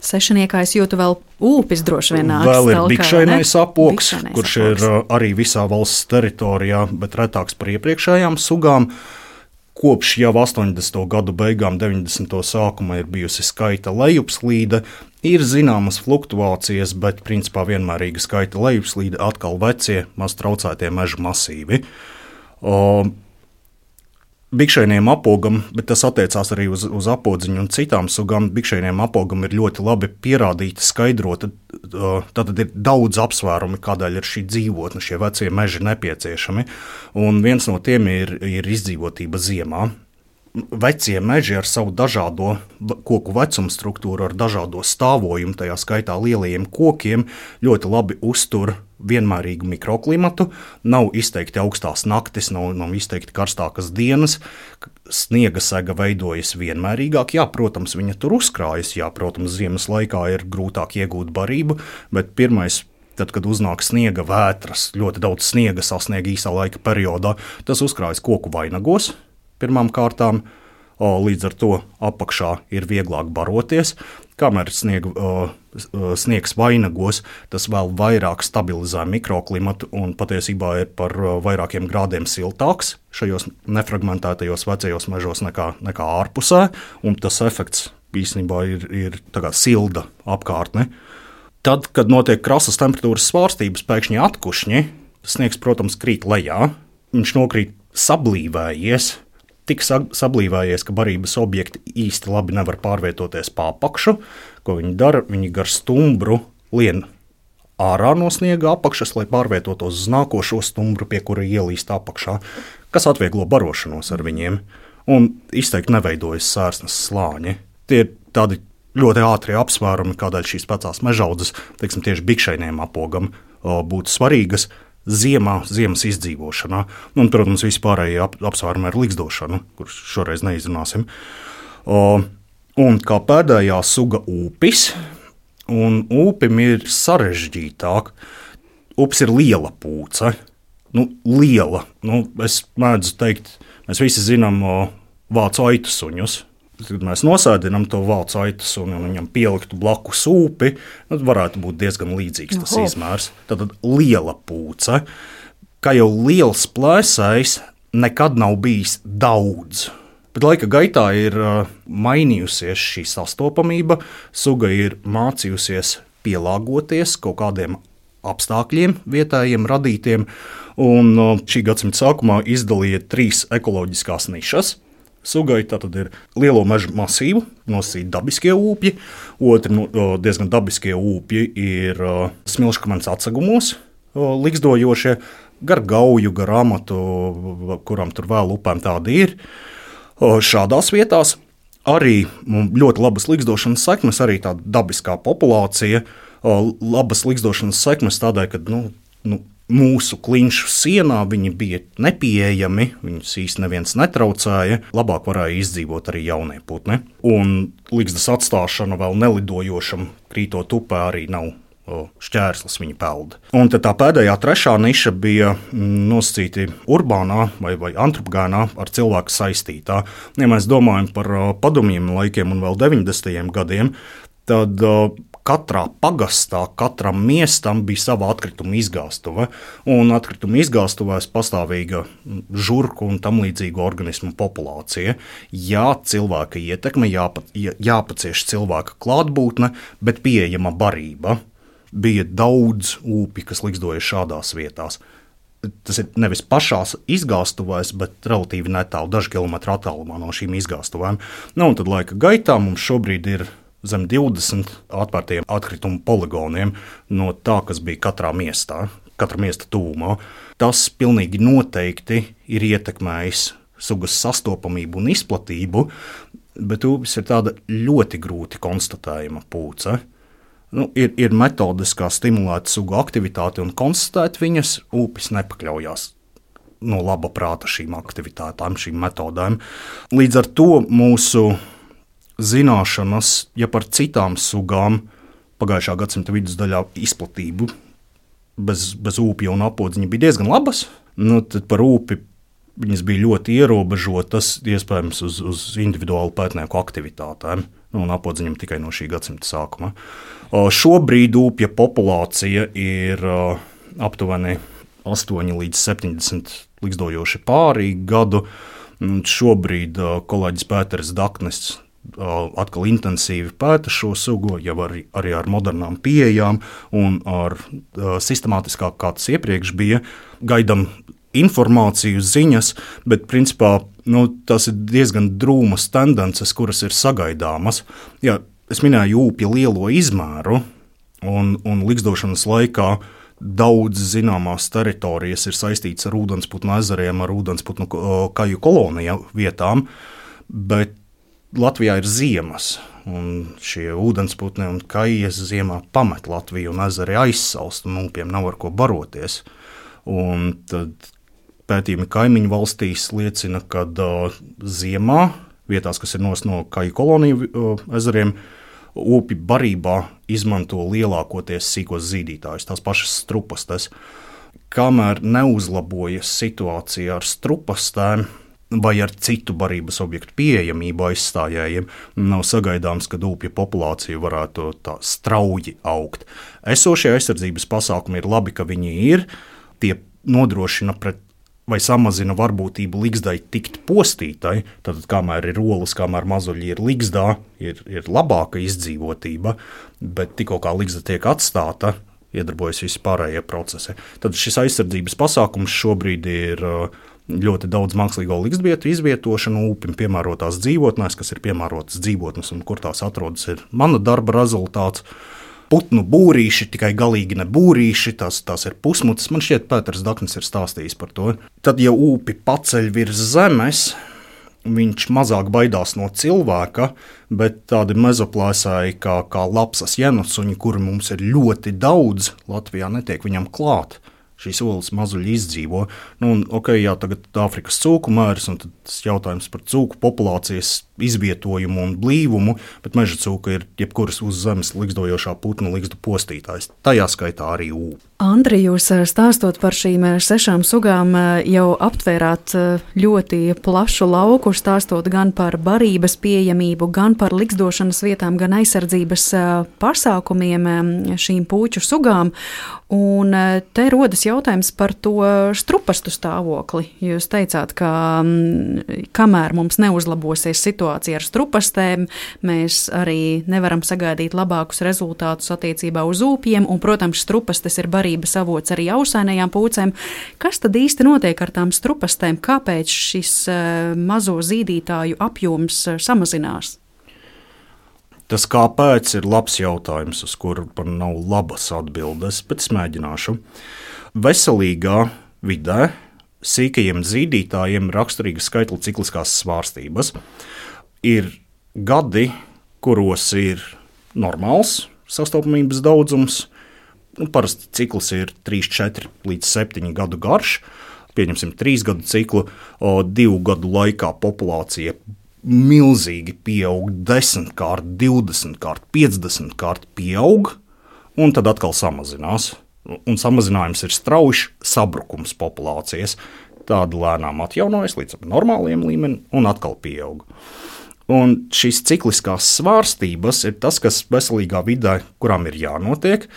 Sešiniekā es jūtu vēl ūpis droši vien nāks. Vēl ir bikšainais apoks, Bikšainais kurš apoks. ir arī visā valsts teritorijā, bet retāks par iepriekšējām sugām. Kopš jau astoņdesmito gadu beigām, deviņdesmito sākuma ir bijusi skaita lejupslīde, ir zināmas fluktuācijas, bet principā vienmērīga skaita lejupslīde, atkal vecie, maz traucētie meža masīvi. O, Bikšēniem apogam, bet tas attiecās arī uz, uz apodziņu un citām sugām. Bikšēniem apogam ir ļoti labi pierādīta, skaidrota. Tātad ir daudz apsvērumi, kādēļ ir šī dzīvotne, šie vecie meži nepieciešami. Un viens no tiem ir, ir izdzīvotība ziemā. Vecie meži ar savu dažādo koku vecumu struktūru, ar dažādo stāvojumu, tajā skaitā lielajiem kokiem, ļoti labi uztur vienmērīgu mikroklimatu, nav izteikti augstās naktis, nav, nav izteikti karstākas dienas, sniega sega veidojas vienmērīgāk. Jā, protams, viņa tur uzkrājas, jā, protams, ziemas laikā ir grūtāk iegūt barību, bet pirmais, tad, kad uznāk sniega vētras, ļoti daudz sniega sasnieg īsā laika periodā, tas uzkrājas koku vainagos pirmām kārtām, o, līdz ar to apakšā ir vieglāk baroties. Kamēr sniega, o, sniegs vainagos, tas vēl vairāk stabilizē mikroklimatu un patiesībā ir par vairākiem grādiem siltāks šajos nefragmentētajos vecajos mežos nekā, nekā ārpusē, un tas efekts īstenībā ir, ir tā kā silda apkārtne. Tad, kad notiek krasas temperatūras svārstības, pēkšņi atkušņi, sniegs, protams, krīt lejā, viņš nokrīt sablīvējies, tik sablīvējies, ka barības objekti īsti labi nevar pārvietoties pa apakšu. Ko viņi dara? Viņi gar stumbru lien ārā no sniega apakšas, lai pārvietotos uz nākošo stumbru, pie kura ielīst apakšā, kas atvieglo barošanos ar viņiem, un izteikti neveidojas sērsnes slāņi. Tie ir tādi ļoti ātri apsvērumi, kādēļ šīs vecās mežaudzes, teiksim, tieši bikšēniem apogam būtu svarīgas ziemā, ziemas izdzīvošanā. Un, protams, vispārējie ap, apsvērumi ar ligzdošanu, kurus šoreiz neizrunāsim. O, un kā pēdējā suga ūpis, un ūpim ir sarežģītāk. Ūpis ir liela pūce. Nu, liela. Nu, es mēdzu teikt, mēs visi zinām o, vācu aitu suņus. Kad mēs nosēdinām to vācu aitu suni un viņam pieliktu blakus ūpi, tad varētu būt diezgan līdzīgs tas Oho. izmērs. Tad liela pūce, kā jau liels plēsējs, nekad nav bijis daudz. Bet laika gaitā ir uh, mainījusies šī sastopamība, suga ir mācījusies pielāgoties kaut kādiem apstākļiem, vietējiem radītiem, un uh, šī gadsimta sākumā izdalīja trīs ekoloģiskās nišas. Sugai tātad ir lielo mežu masīvu, nosacīti dabiskie ūpji, otri no, diezgan dabiskie ūpji ir uh, smilškamens atsegumos, uh, ligzdojošie, gar gauju, gar amatu, kuram tur vēl upēm tādi ir. Uh, šādās vietās arī ļoti labas ligzdošanas sekmes, arī tāda dabiskā populācija, uh, labas ligzdošanas sekmes tādēļ, ka nu, nu, mūsu klinšu sienā viņi bija nepieejami, viņus īsti neviens netraucēja, labāk varēja izdzīvot arī jaunie putni. Un ligzdas atstāšana vēl nelidojošam krītot upē arī nav o, šķērslis viņa pelda. Un tad tā pēdējā trešā niša bija nosacīti urbānā vai, vai antropogēnā ar cilvēku saistītā. Ja mēs domājam par o, padomjiem laikiem un vēl deviņdesmitajiem gadiem, tad o, katrā pagastā, katram miestam bija sava atkrituma izgāstuve, un atkrituma izgāstuvēs pastāvīga žurku un tam līdzīgu organismu populācija. Jā, cilvēka ietekme, jāpa, jāpacieš cilvēka klātbūtne, bet pieejama barība. Bija daudz ūpi, kas ligzdoja šādās vietās. Tas ir nevis pašās izgāstuvēs, bet relatīvi netālu, daži kilometri attālumā no šīm izgāstuvēm. Nu, un tad laika gaitā mums šobrīd ir zem divdesmit atvērtiem atkritumu poligoniem no tā, kas bija katrā miestā, katra miesta tūmā. Tas pilnīgi noteikti ir ietekmējis sugas sastopamību un izplatību, bet ūpis ir tāda ļoti grūti konstatējama pūce. Nu, ir, ir metodes, kā stimulēt sugu aktivitāti un konstatēt viņas, ūpis nepakļaujās no laba prāta šīm aktivitātēm, šīm metodēm. Līdz ar to mūsu zināšanas, ja par citām sugām pagājušā gadsimta vidusdaļā izplatību bez, bez ūpja un apodziņa bija diezgan labas, nu, tad par ūpi viņas bija ļoti ierobežotas, iespējams uz, uz individuālu pētnieku aktivitātēm, nu, un apodziņam tikai no šī gadsimta sākuma. O, šobrīd ūpja populācija ir o, aptuveni astoņi līdz septiņdesmit ligzdojoši pārī gadu. Šobrīd o, kolēģis Pēters Daknis atkal intensīvi pēta šo sugu, jau arī, arī ar modernām pieejām un ar uh, sistemātiskāk, kā tas iepriekš bija. Gaidam informāciju, ziņas, bet principā nu, tas ir diezgan drūmas tendences, kuras ir sagaidāmas. Jā, es minēju upju lielo izmēru, un, un ligzdošanas laikā daudz zināmās teritorijas ir saistītas ar ūdensputnu ezeriem, ar ūdensputnu kaju koloniju vietām, bet Latvijā ir ziemas, un šie ūdensputni un kajas ziemā pamet Latviju un ezeri aizsalst, un upiem nav ar ko baroties. Un tad pētījumi kaimiņu valstīs liecina, ka uh, ziemā, vietās, kas ir nost no kaju koloniju uh, ezeriem, upi barībā izmanto lielākoties sīkos zīdītājus, tās pašas strupastes. Kamēr neuzlabojas situācija ar strupastēm vai ar citu barības objektu pieejamību aizstājējiem, nav sagaidāms, ka upju populācija varētu tā strauji augt. Esošie aizsardzības pasākumi ir labi, ka viņi ir, tie nodrošina pret vai samazina varbūtību ligzdai tikt postītai, tad kamēr ir olas, kamēr mazuļi ir ligzdā, ir, ir labāka izdzīvotība, bet tikko kā ligzda tiek atstāta, iedarbojas visi pārējie procesi. Tad šis aizsardzības pasākums šobrīd ir ļoti daudz mākslīgo ligzdvietu izvietošanu, upim piemērotās dzīvotnēs, kas ir piemērotas dzīvotnes un kur tās atrodas, ir mana darba rezultāts. Putnu būrīši, tikai galīgi ne būrīši, tās, tās ir pusmutas. Man šķiet, Pēters Daknis ir stāstījis par to. Tad, ja upi paceļ virs zemes, viņš mazāk baidās no cilvēka, bet tādi mezoplēsāji kā, kā lapsas jenusuņi, kuri mums ir ļoti daudz, Latvijā netiek viņam klāt. Šīs olas mazuļi izdzīvo. Nu, un, ok, jā, tagad Āfrikas cūku mērs, un tad jautājums par cūku populācijas izvietojumu un blīvumu, bet meža cūka ir jebkuras uz zemes ligzdojošā putnu ligzdu postītājs. Tajā skaitā arī ū. Andri, jūs stāstot par šīm sešām sugām, jau aptvērāt ļoti plašu lauku, stāstot gan par barības pieejamību, gan par ligzdošanas vietām, gan aizsardzības pasākumiem šīm puču sugām. Un te rodas jautājums par to strupastu stāvokli. Jūs teicāt, ka kamēr mums neuzlabosies situācija ar strupastēm, mēs arī nevaram sagaidīt labākus rezultātus attiecībā uz ūpiem, un, protams, strupastes ir barības avots arī ausainajām pūcēm. Kas tad īsti notiek ar tām strupastēm? Kāpēc šis mazo zīdītāju apjoms samazinās? Tas kāpēc ir labs jautājums, uz kuru man nav labas atbildes, bet es mēģināšu. Veselīgā vidē sīkajiem zīdītājiem raksturīga skaitļa cikliskās svārstības. Ir gadi, kuros ir normāls sastopamības daudzums. Nu, parasti cikls ir trīs, četri līdz septiņi gadu garš. Pieņemsim trīs gadu ciklu, o, divu gadu laikā populācija milzīgi pieaug, desmitkārt, divdesmitkārt, piecdesmitkārt pieaug, un tad atkal samazinās. Un samazinājums ir strauji sabrukums populācijas. Tāda lēnām atjaunojas līdz normāliem līmenim un atkal pieaug. Un šīs cikliskās svārstības ir tas, kas veselīgā vidē, kurām ir jānotiek.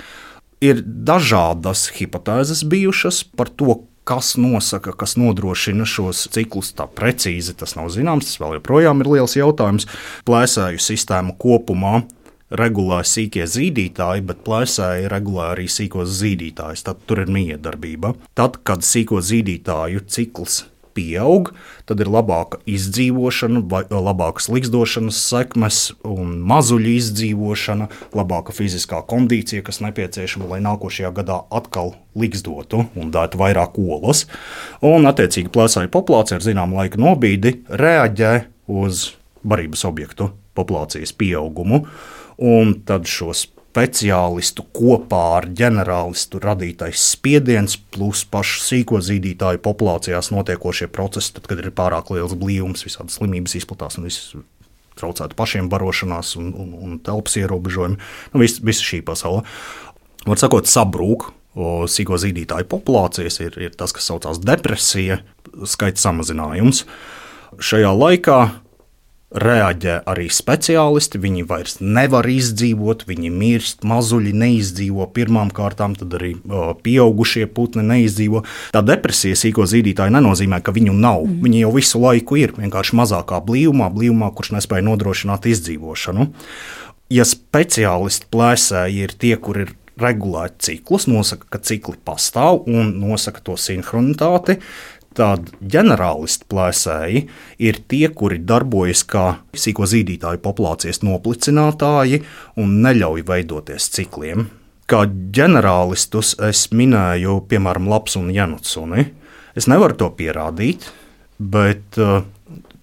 Ir dažādas hipotēzes bijušas par to, kas nosaka, kas nodrošina šos ciklus tā precīzi, tas nav zināms, tas vēl joprojām ir liels jautājums. Plēsēju sistēmu kopumā regulē sīkie zīdītāji, bet plēsēji regulē arī sīkos zīdītājus, tad tur ir miedarbība. Tad, kad sīko zīdītāju cikls pieaug, tad ir labāka izdzīvošana, labākas ligzdošanas sekmes un mazuļu izdzīvošana, labāka fiziskā kondīcija, kas nepieciešama, lai nākošajā gadā atkal ligzdotu un dētu vairāk olas. Un, attiecīgi, plēsāju populācija ar zinām laika nobīdi reaģē uz barības objektu populācijas pieaugumu, un tad šos speciālistu kopā ar ģenerālistu radītais spiediens plus pašu sīko zīdītāju populācijās notiekošie procesi, tad, kad ir pārāk liels blīvums, visādas slimības izplatās un viss traucētu pašiem barošanās un, un, un telpas ierobežojumi. Nu, visa, visa šī pasaule. Var sakot, sabrūk sīko zīdītāju populācijas ir, ir tas, kas saucās depresija, skaita samazinājums. Šajā laikā reaģē arī speciālisti, viņi vairs nevar izdzīvot, viņi mirst, mazuļi neizdzīvo pirmām kārtām, tad arī o, pieaugušie putni neizdzīvo. Tā depresija sīko zīdītāju nenozīmē, ka viņu nav. Mm. Viņi jau visu laiku ir, vienkārši mazākā blīvumā, blīvumā, kurš nespēja nodrošināt izdzīvošanu. Ja speciālisti plēsēji ir tie, kur ir regulēt ciklus, nosaka, ka cikli pastāv un nosaka to sinhronitāti, tad ģenerālisti plēsēji ir tie, kuri darbojas kā sīko zīdītāju populācijas noplicinātāji un neļauj veidoties cikliem. Kā ģenerālistus es minēju, piemēram, lapsu un jenutsuni. Es nevaru to pierādīt, bet,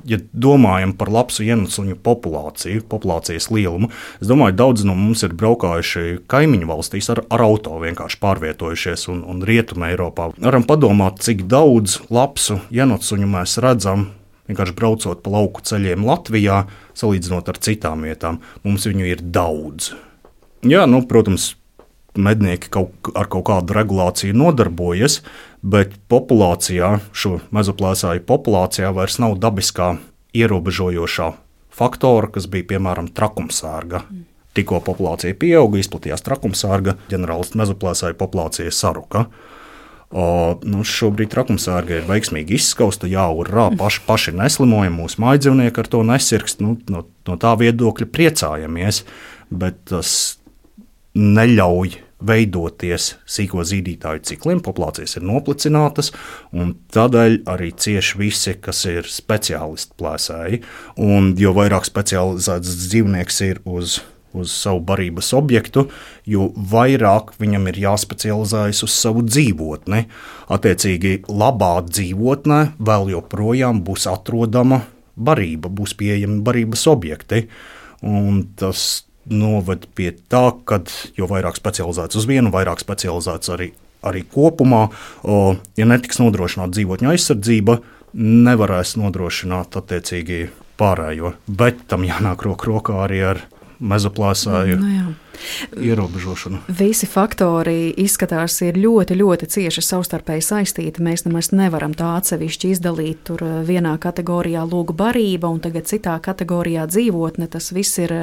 ja domājam par lapsu jenusuņu populāciju, populācijas lielumu, es domāju, daudz no mums ir braukājuši kaimiņu valstīs ar, ar auto, vienkārši pārvietojušies un, un Rietumē Eiropā. Varam padomāt, cik daudz lapsu jenusuņu mēs redzam, vienkārši braucot pa lauku ceļiem Latvijā, salīdzinot ar citām vietām. Mums viņu ir daudz. Jā, nu, protams, mednieki kaut, ar kaut kādu regulāciju nodarbojas, bet populācijā, šo mezoplēsāju populācijā vairs nav dabiskā ierobežojošā faktora, kas bija, piemēram, trakumsērga. Tikko populācija pieauga, izplatījās trakumsērga, ģenerālistu mezoplēsāju populācija saruka. O, nu, šobrīd trakumsērga ir veiksmīgi izskausta, jā, urrā, paši, paši neslimojam, mūsu mājdzīvnieki ar to nesirkst, nu, no, no tā viedokļa priecājamies, bet tas neļauj veidoties sīko zīdītāju cikliem, populācijas ir noplicinātas, un tādēļ arī cieši visi, kas ir speciālisti plēsēji. Un jo vairāk specializēts dzīvnieks ir uz, uz savu barības objektu, jo vairāk viņam ir jāspecializējas uz savu dzīvotni. Attiecīgi, labā dzīvotnē vēl joprojām būs atrodama barība, būs pieejami barības objekti, un tas noved pie tā, ka jo vairāk specializēts uz vienu, vairāk specializēts arī, arī kopumā. O, ja netiks nodrošināta dzīvotņu aizsardzība, nevarēs nodrošināt attiecīgi pārējo, bet tam jānāk roku rokā arī ar mezoplēsāju nu, ierobežošanu. Visi faktori izskatās ir ļoti, ļoti cieši savstarpēji saistīti. Mēs nemaz nevaram tā atsevišķi izdalīt tur vienā kategorijā lūgu barība un tagad citā kategorijā dzīvotne. Tas viss ir,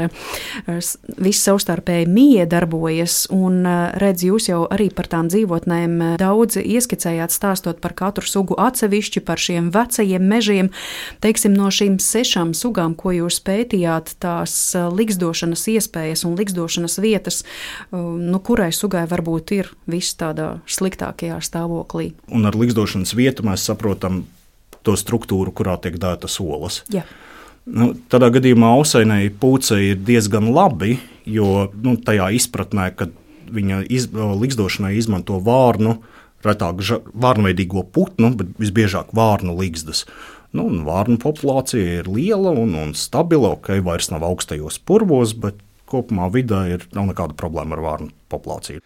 viss savstarpēji miedarbojas un redz, jūs jau arī par tām dzīvotnēm daudz ieskicējāt stāstot par katru sugu atsevišķi, par šiem vecajiem mežiem. Teiksim, no šīm sešām sugām, ko jūs pētījāt, tās liksdošanas iespējas un liksdošanas vietas, nu, kurai sugai varbūt ir viss tādā sliktākajā stāvoklī. Un ar liksdošanas vietu mēs saprotam to struktūru, kurā tiek dētas olas. Jā. Nu, tādā gadījumā ausainai pūcei ir diezgan labi, jo nu, tajā izpratnē, kad viņa iz, liksdošanai izmanto vārnu, retāk vārnveidīgo putnu, bet visbiežāk vārnu liksdas. Nu, vārnu populācija ir liela un, un stabila, ok, vairs nav augstajos purvos, bet kopumā vidē ir, nav nekāda problēma ar vārnu populāciju.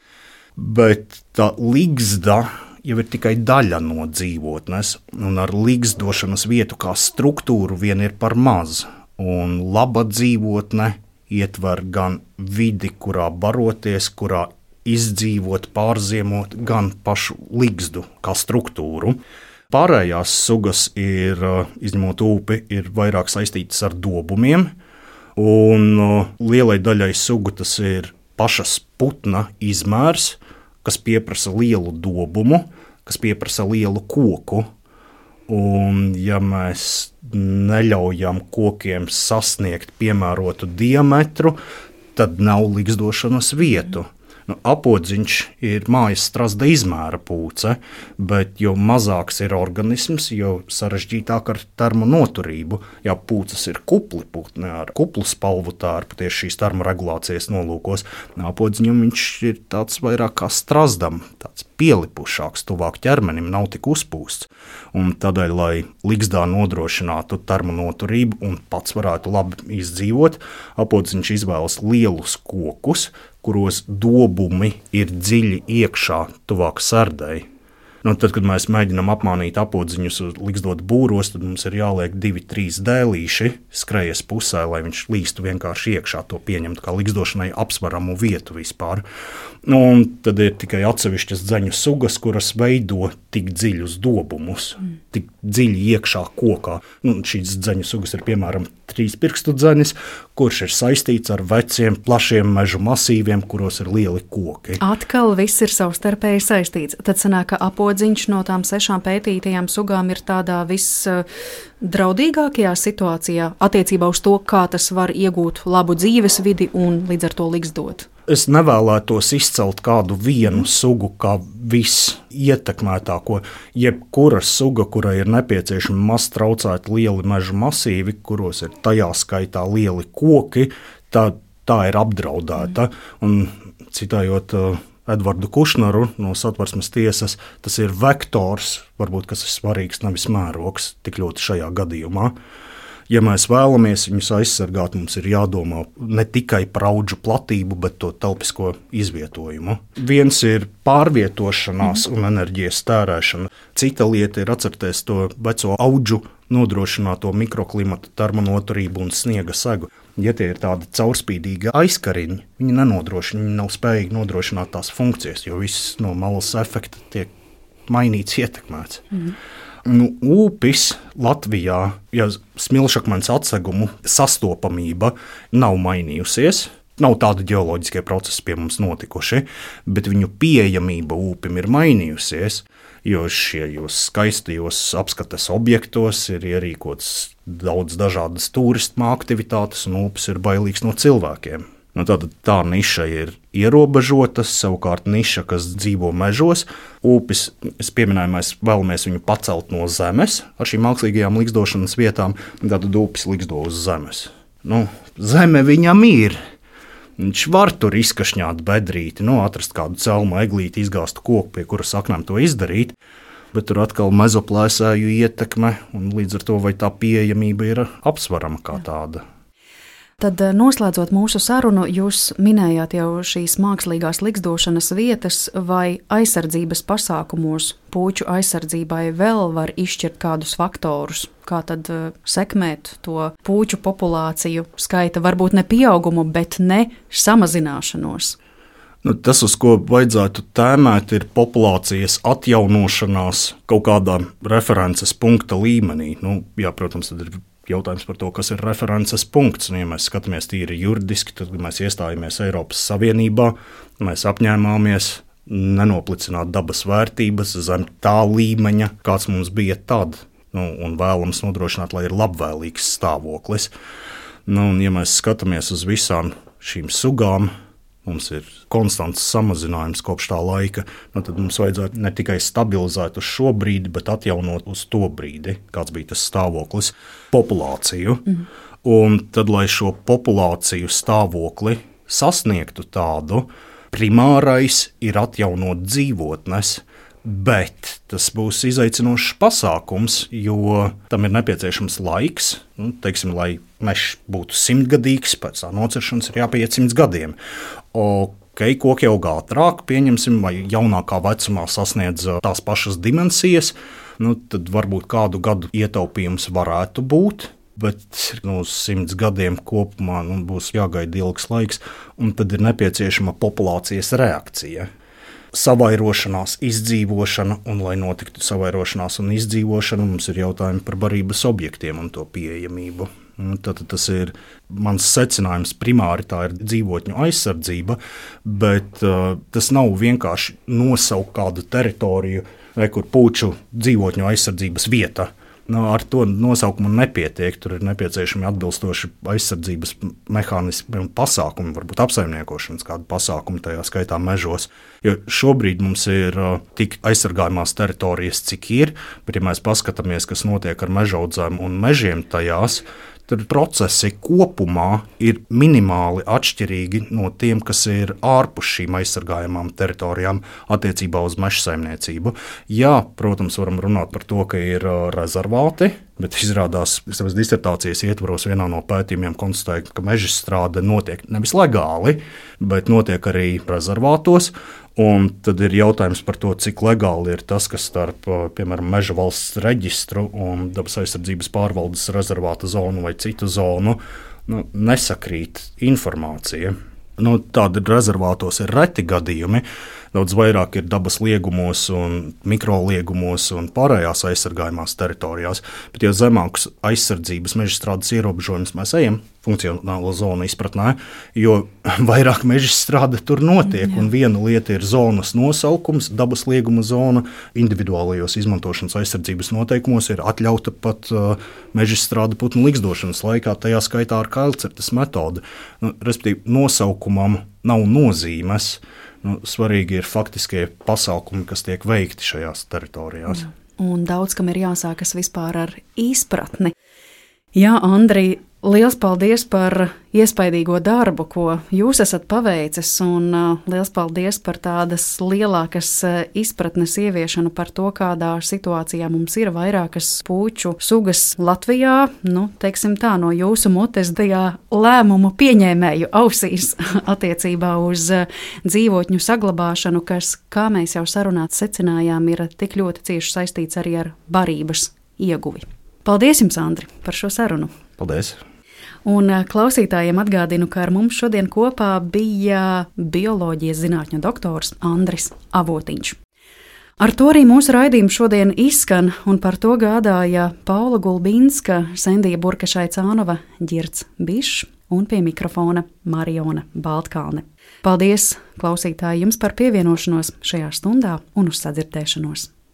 Bet tā liksda jau ir tikai daļa no dzīvotnes, un ar liksdošanas vietu kā struktūru vien ir par maz. Un laba dzīvotne ietver gan vidi, kurā baroties, kurā izdzīvot, pārziemot, gan pašu liksdu kā struktūru. Pārējās sugas ir, izņemot ūpi, ir vairāk saistītas ar dobumiem, un lielai daļai sugu tas ir pašas putna izmērs, kas pieprasa lielu dobumu, kas pieprasa lielu koku. Un ja mēs neļaujam kokiem sasniegt piemērotu diametru, tad nav liksdošanas vietu. Nu, apodziņš ir mājas strazda izmēra pūce, bet jo mazāks ir organisms, jo sarežģītāk ar termonoturību. Ja pūces ir kupli putni ar kuplu spalvu tārpu tieši šīs termoregulācijas nolūkos, apodziņam viņš ir tāds vairāk kā strazdam, tāds pielipušāks, tuvāk ķermenim, nav tik uzpūsts. Un tādēļ, lai liksdā nodrošinātu termonoturību un pats varētu labi izdzīvot, apodziņš izvēlas lielus kokus, kuros dobumi ir dziļi iekšā, tuvāk sardai. Nu, tad, kad mēs mēģinām apmānīt apodziņus liksdot būros, tad mums ir jāliek divi, trīs dēlīši skrejas pusē, lai viņš līstu vienkārši iekšā, to pieņemt kā liksdošanai apsveramu vietu vispār. Nu, un tad ir tikai atsevišķas dzeņu sugas, kuras veido tik dziļus dobumus, mm. tik dziļi iekšā kokā. Nu, šīs dzeņu sugas ir piemēram trīs pirkstu dzenis, kurš ir saistīts ar veciem, plašiem mežu masīviem, kuros ir lieli koki. Atkal viss ir savstarpēji saistīts. Tad sanāk, ka apodziņš no tām sešām pētītajām sugām ir tādā visdraudīgākajā situācijā attiecībā uz to, kā tas var iegūt labu dzīves vidi un līdz ar to liksdot. Es nevēlētos izcelt kādu vienu sugu kā visietekmētāko. Jebkura suga, kurai ir nepieciešami maz traucēti lieli meža masīvi, kuros ir tajā skaitā lieli koki, tā, tā ir apdraudēta. Un, citējot uh, Edvardu Kušnaru no Satversmes tiesas, tas ir vektors, varbūt kas ir svarīgs, nevis mērogs tik ļoti šajā gadījumā. Ja mēs vēlamies viņus aizsargāt, mums ir jādomā ne tikai par audžu platību, bet to telpisko izvietojumu. Viens ir pārvietošanās un enerģijas tērēšana. Cita lieta ir atcerēties to veco audžu nodrošināto mikroklimatu, termonoturību un sniega segu. Ja tie ir tādi caurspīdīgi aizkariņi, viņi nenodrošina, viņi nav spējīgi nodrošināt tās funkcijas, jo viss no malas efekta tiek mainīts, ietekmēts. Mm. Nu, upis Latvijā, ja smilšakmens atsegumu sastopamība nav mainījusies, nav tādi ģeoloģiskie procesi pie mums notikuši, bet viņu pieejamība upim ir mainījusies, jo šajos skaistajos apskates objektos ir ierīkots daudz dažādas turismu aktivitātes, un upis ir bailīgs no cilvēkiem. Nu, tātad tā niša ir ierobežota, savukārt niša, kas dzīvo mežos, upis, es pieminēju, mēs vēlamies viņu pacelt no zemes ar šīm mākslīgajām ligzdošanas vietām, tātad upis ligzdo uz zemes. Nu, zeme viņam ir. Viņš var tur izkašņāt bedrīti, nu, atrast kādu celmu eglīti, izgāstu koku, pie kura saknēm to izdarīt, bet tur atkal mezoplēsēju ietekme, un līdz ar to vai tā pieejamība ir apsvarama kā tāda. Tad, noslēdzot mūsu sarunu, jūs minējāt jau šīs mākslīgās ligzdošanas vietas, vai aizsardzības pasākumos puķu aizsardzībai vēl var izšķirt kādus faktorus, kā tad sekmēt to puķu populāciju skaita, varbūt ne pieaugumu, bet ne samazināšanos. Nu, tas, uz ko vajadzētu tēmēt, ir populācijas atjaunošanās kaut kādā references punkta līmenī. Nu, jā, protams, tad ir jautājums par to, kas ir references punkts. Un, ja mēs skatāmies tīri juridiski, tad, kad mēs iestājāmies Eiropas Savienībā, mēs apņēmāmies nenoplicināt dabas vērtības zem tā līmeņa, kāds mums bija tad, nu, un vēlams nodrošināt, lai ir labvēlīgs stāvoklis. Nu, un, ja mēs skatāmies uz visām šīm sugām, mums ir konstants samazinājums kopš tā laika, nu tad mums vajadzētu ne tikai stabilizēt uz šo brīdi, bet atjaunot uz to brīdi, kāds bija tas stāvoklis, populāciju. Mm. Un tad, lai šo populāciju stāvokli sasniegtu tādu, primārais ir atjaunot dzīvotnes, bet tas būs izaicinošs pasākums, jo tam ir nepieciešams laiks. Nu, teiksim, lai mežs būtu simtgadīgs, pēc tā nociršanas ir jāpieiet simts gadiem. Ok, koki aug ātrāk, pieņemsim, vai jaunākā vecumā sasniedz tās pašas dimensijas, nu, tad varbūt kādu gadu ietaupījums varētu būt, bet no nu, simts gadiem kopumā nu, būs jāgaida ilgs laiks, un tad ir nepieciešama populācijas reakcija. Savairošanās, izdzīvošana, un, lai notiktu savairošanās un izdzīvošana, mums ir jautājumi par barības objektiem un to pieejamību. Tad tas ir mans secinājums. Primāri tā ir dzīvotņu aizsardzība, bet uh, tas nav vienkārši nosaukt kādu teritoriju, vai kur puču dzīvotņu aizsardzības vieta. Nu, ar to nosaukumu nepietiek. Tur ir nepieciešami atbilstoši aizsardzības mehānismi un pasākumi, varbūt apsaimniekošanas kādu pasākumu, tajā skaitā mežos. Jo šobrīd mums ir uh, tik aizsargājumās teritorijas, cik ir, bet ja mēs paskatāmies, kas notiek ar mežaudzēm un mežiem tajās, tad procesi kopumā ir minimāli atšķirīgi no tiem, kas ir ārpus šīm aizsargājamām teritorijām attiecībā uz mežsaimniecību. Jā, protams, varam runāt par to, ka ir rezervāti, bet izrādās, savas disertācijas ietvaros vienā no pētījumiem konstatēja, ka mežstrāde notiek nevis legāli, bet notiek arī rezervātos. Un tad ir jautājums par to, cik legāli ir tas, kas starp, piemēram, Meža valsts reģistru un dabas aizsardzības pārvaldes rezervāta zonu vai citu zonu, nu, nesakrīt informācija. Nu, tādi rezervātos ir reti gadījumi, daudz vairāk ir dabas liegumos, un mikroliegumos un pārējās aizsargājumās teritorijās. Bet, ja zemākus aizsardzības mežstrādes ierobežojumus mēs ejam funkcionālo zonu izpratnē, jo vairāk mežstrāde tur notiek. Jā. Un viena lieta ir zonas nosaukums, dabas lieguma zona. Individuālajos izmantošanas aizsardzības noteikumos ir atļauta pat uh, mežstrāde putnu ligzdošanas laikā, tajā skaitā ar kailcertes metodi. Nu, respektīvi, nosaukumam nav nozīmes. Nu, svarīgi ir faktiskie pasākumi, kas tiek veikti šajās teritorijās. Jā. Un daudz kam ir jāsākas vispār ar izpratni. Jā, Andri, liels paldies par iespaidīgo darbu, ko jūs esat paveicis, un uh, liels paldies par tādas lielākas uh, izpratnes ieviešanu par to, kādā situācijā mums ir vairākas puču sugas Latvijā, nu, teiksim tā, no jūsu mutes tajā lēmumu pieņēmēju ausīs attiecībā uz uh, dzīvotņu saglabāšanu, kas, kā mēs jau sarunāt secinājām, ir tik ļoti cieši saistīts arī ar barības ieguvi. Paldies jums, Andri, par šo sarunu. Paldies! Un klausītājiem atgādinu, ka ar mums šodien kopā bija bioloģijas zinātņu doktors Andris Avotiņš. Ar to arī mūsu raidījums šodien izskan, un par to gādāja Paula Gulbinska, Sendija Burkašai-Cānova, Ģirds Bišs un pie mikrofona Mariona Baltkalne. Paldies, klausītāji, jums par pievienošanos šajā stundā un uz sadzirdēšanos!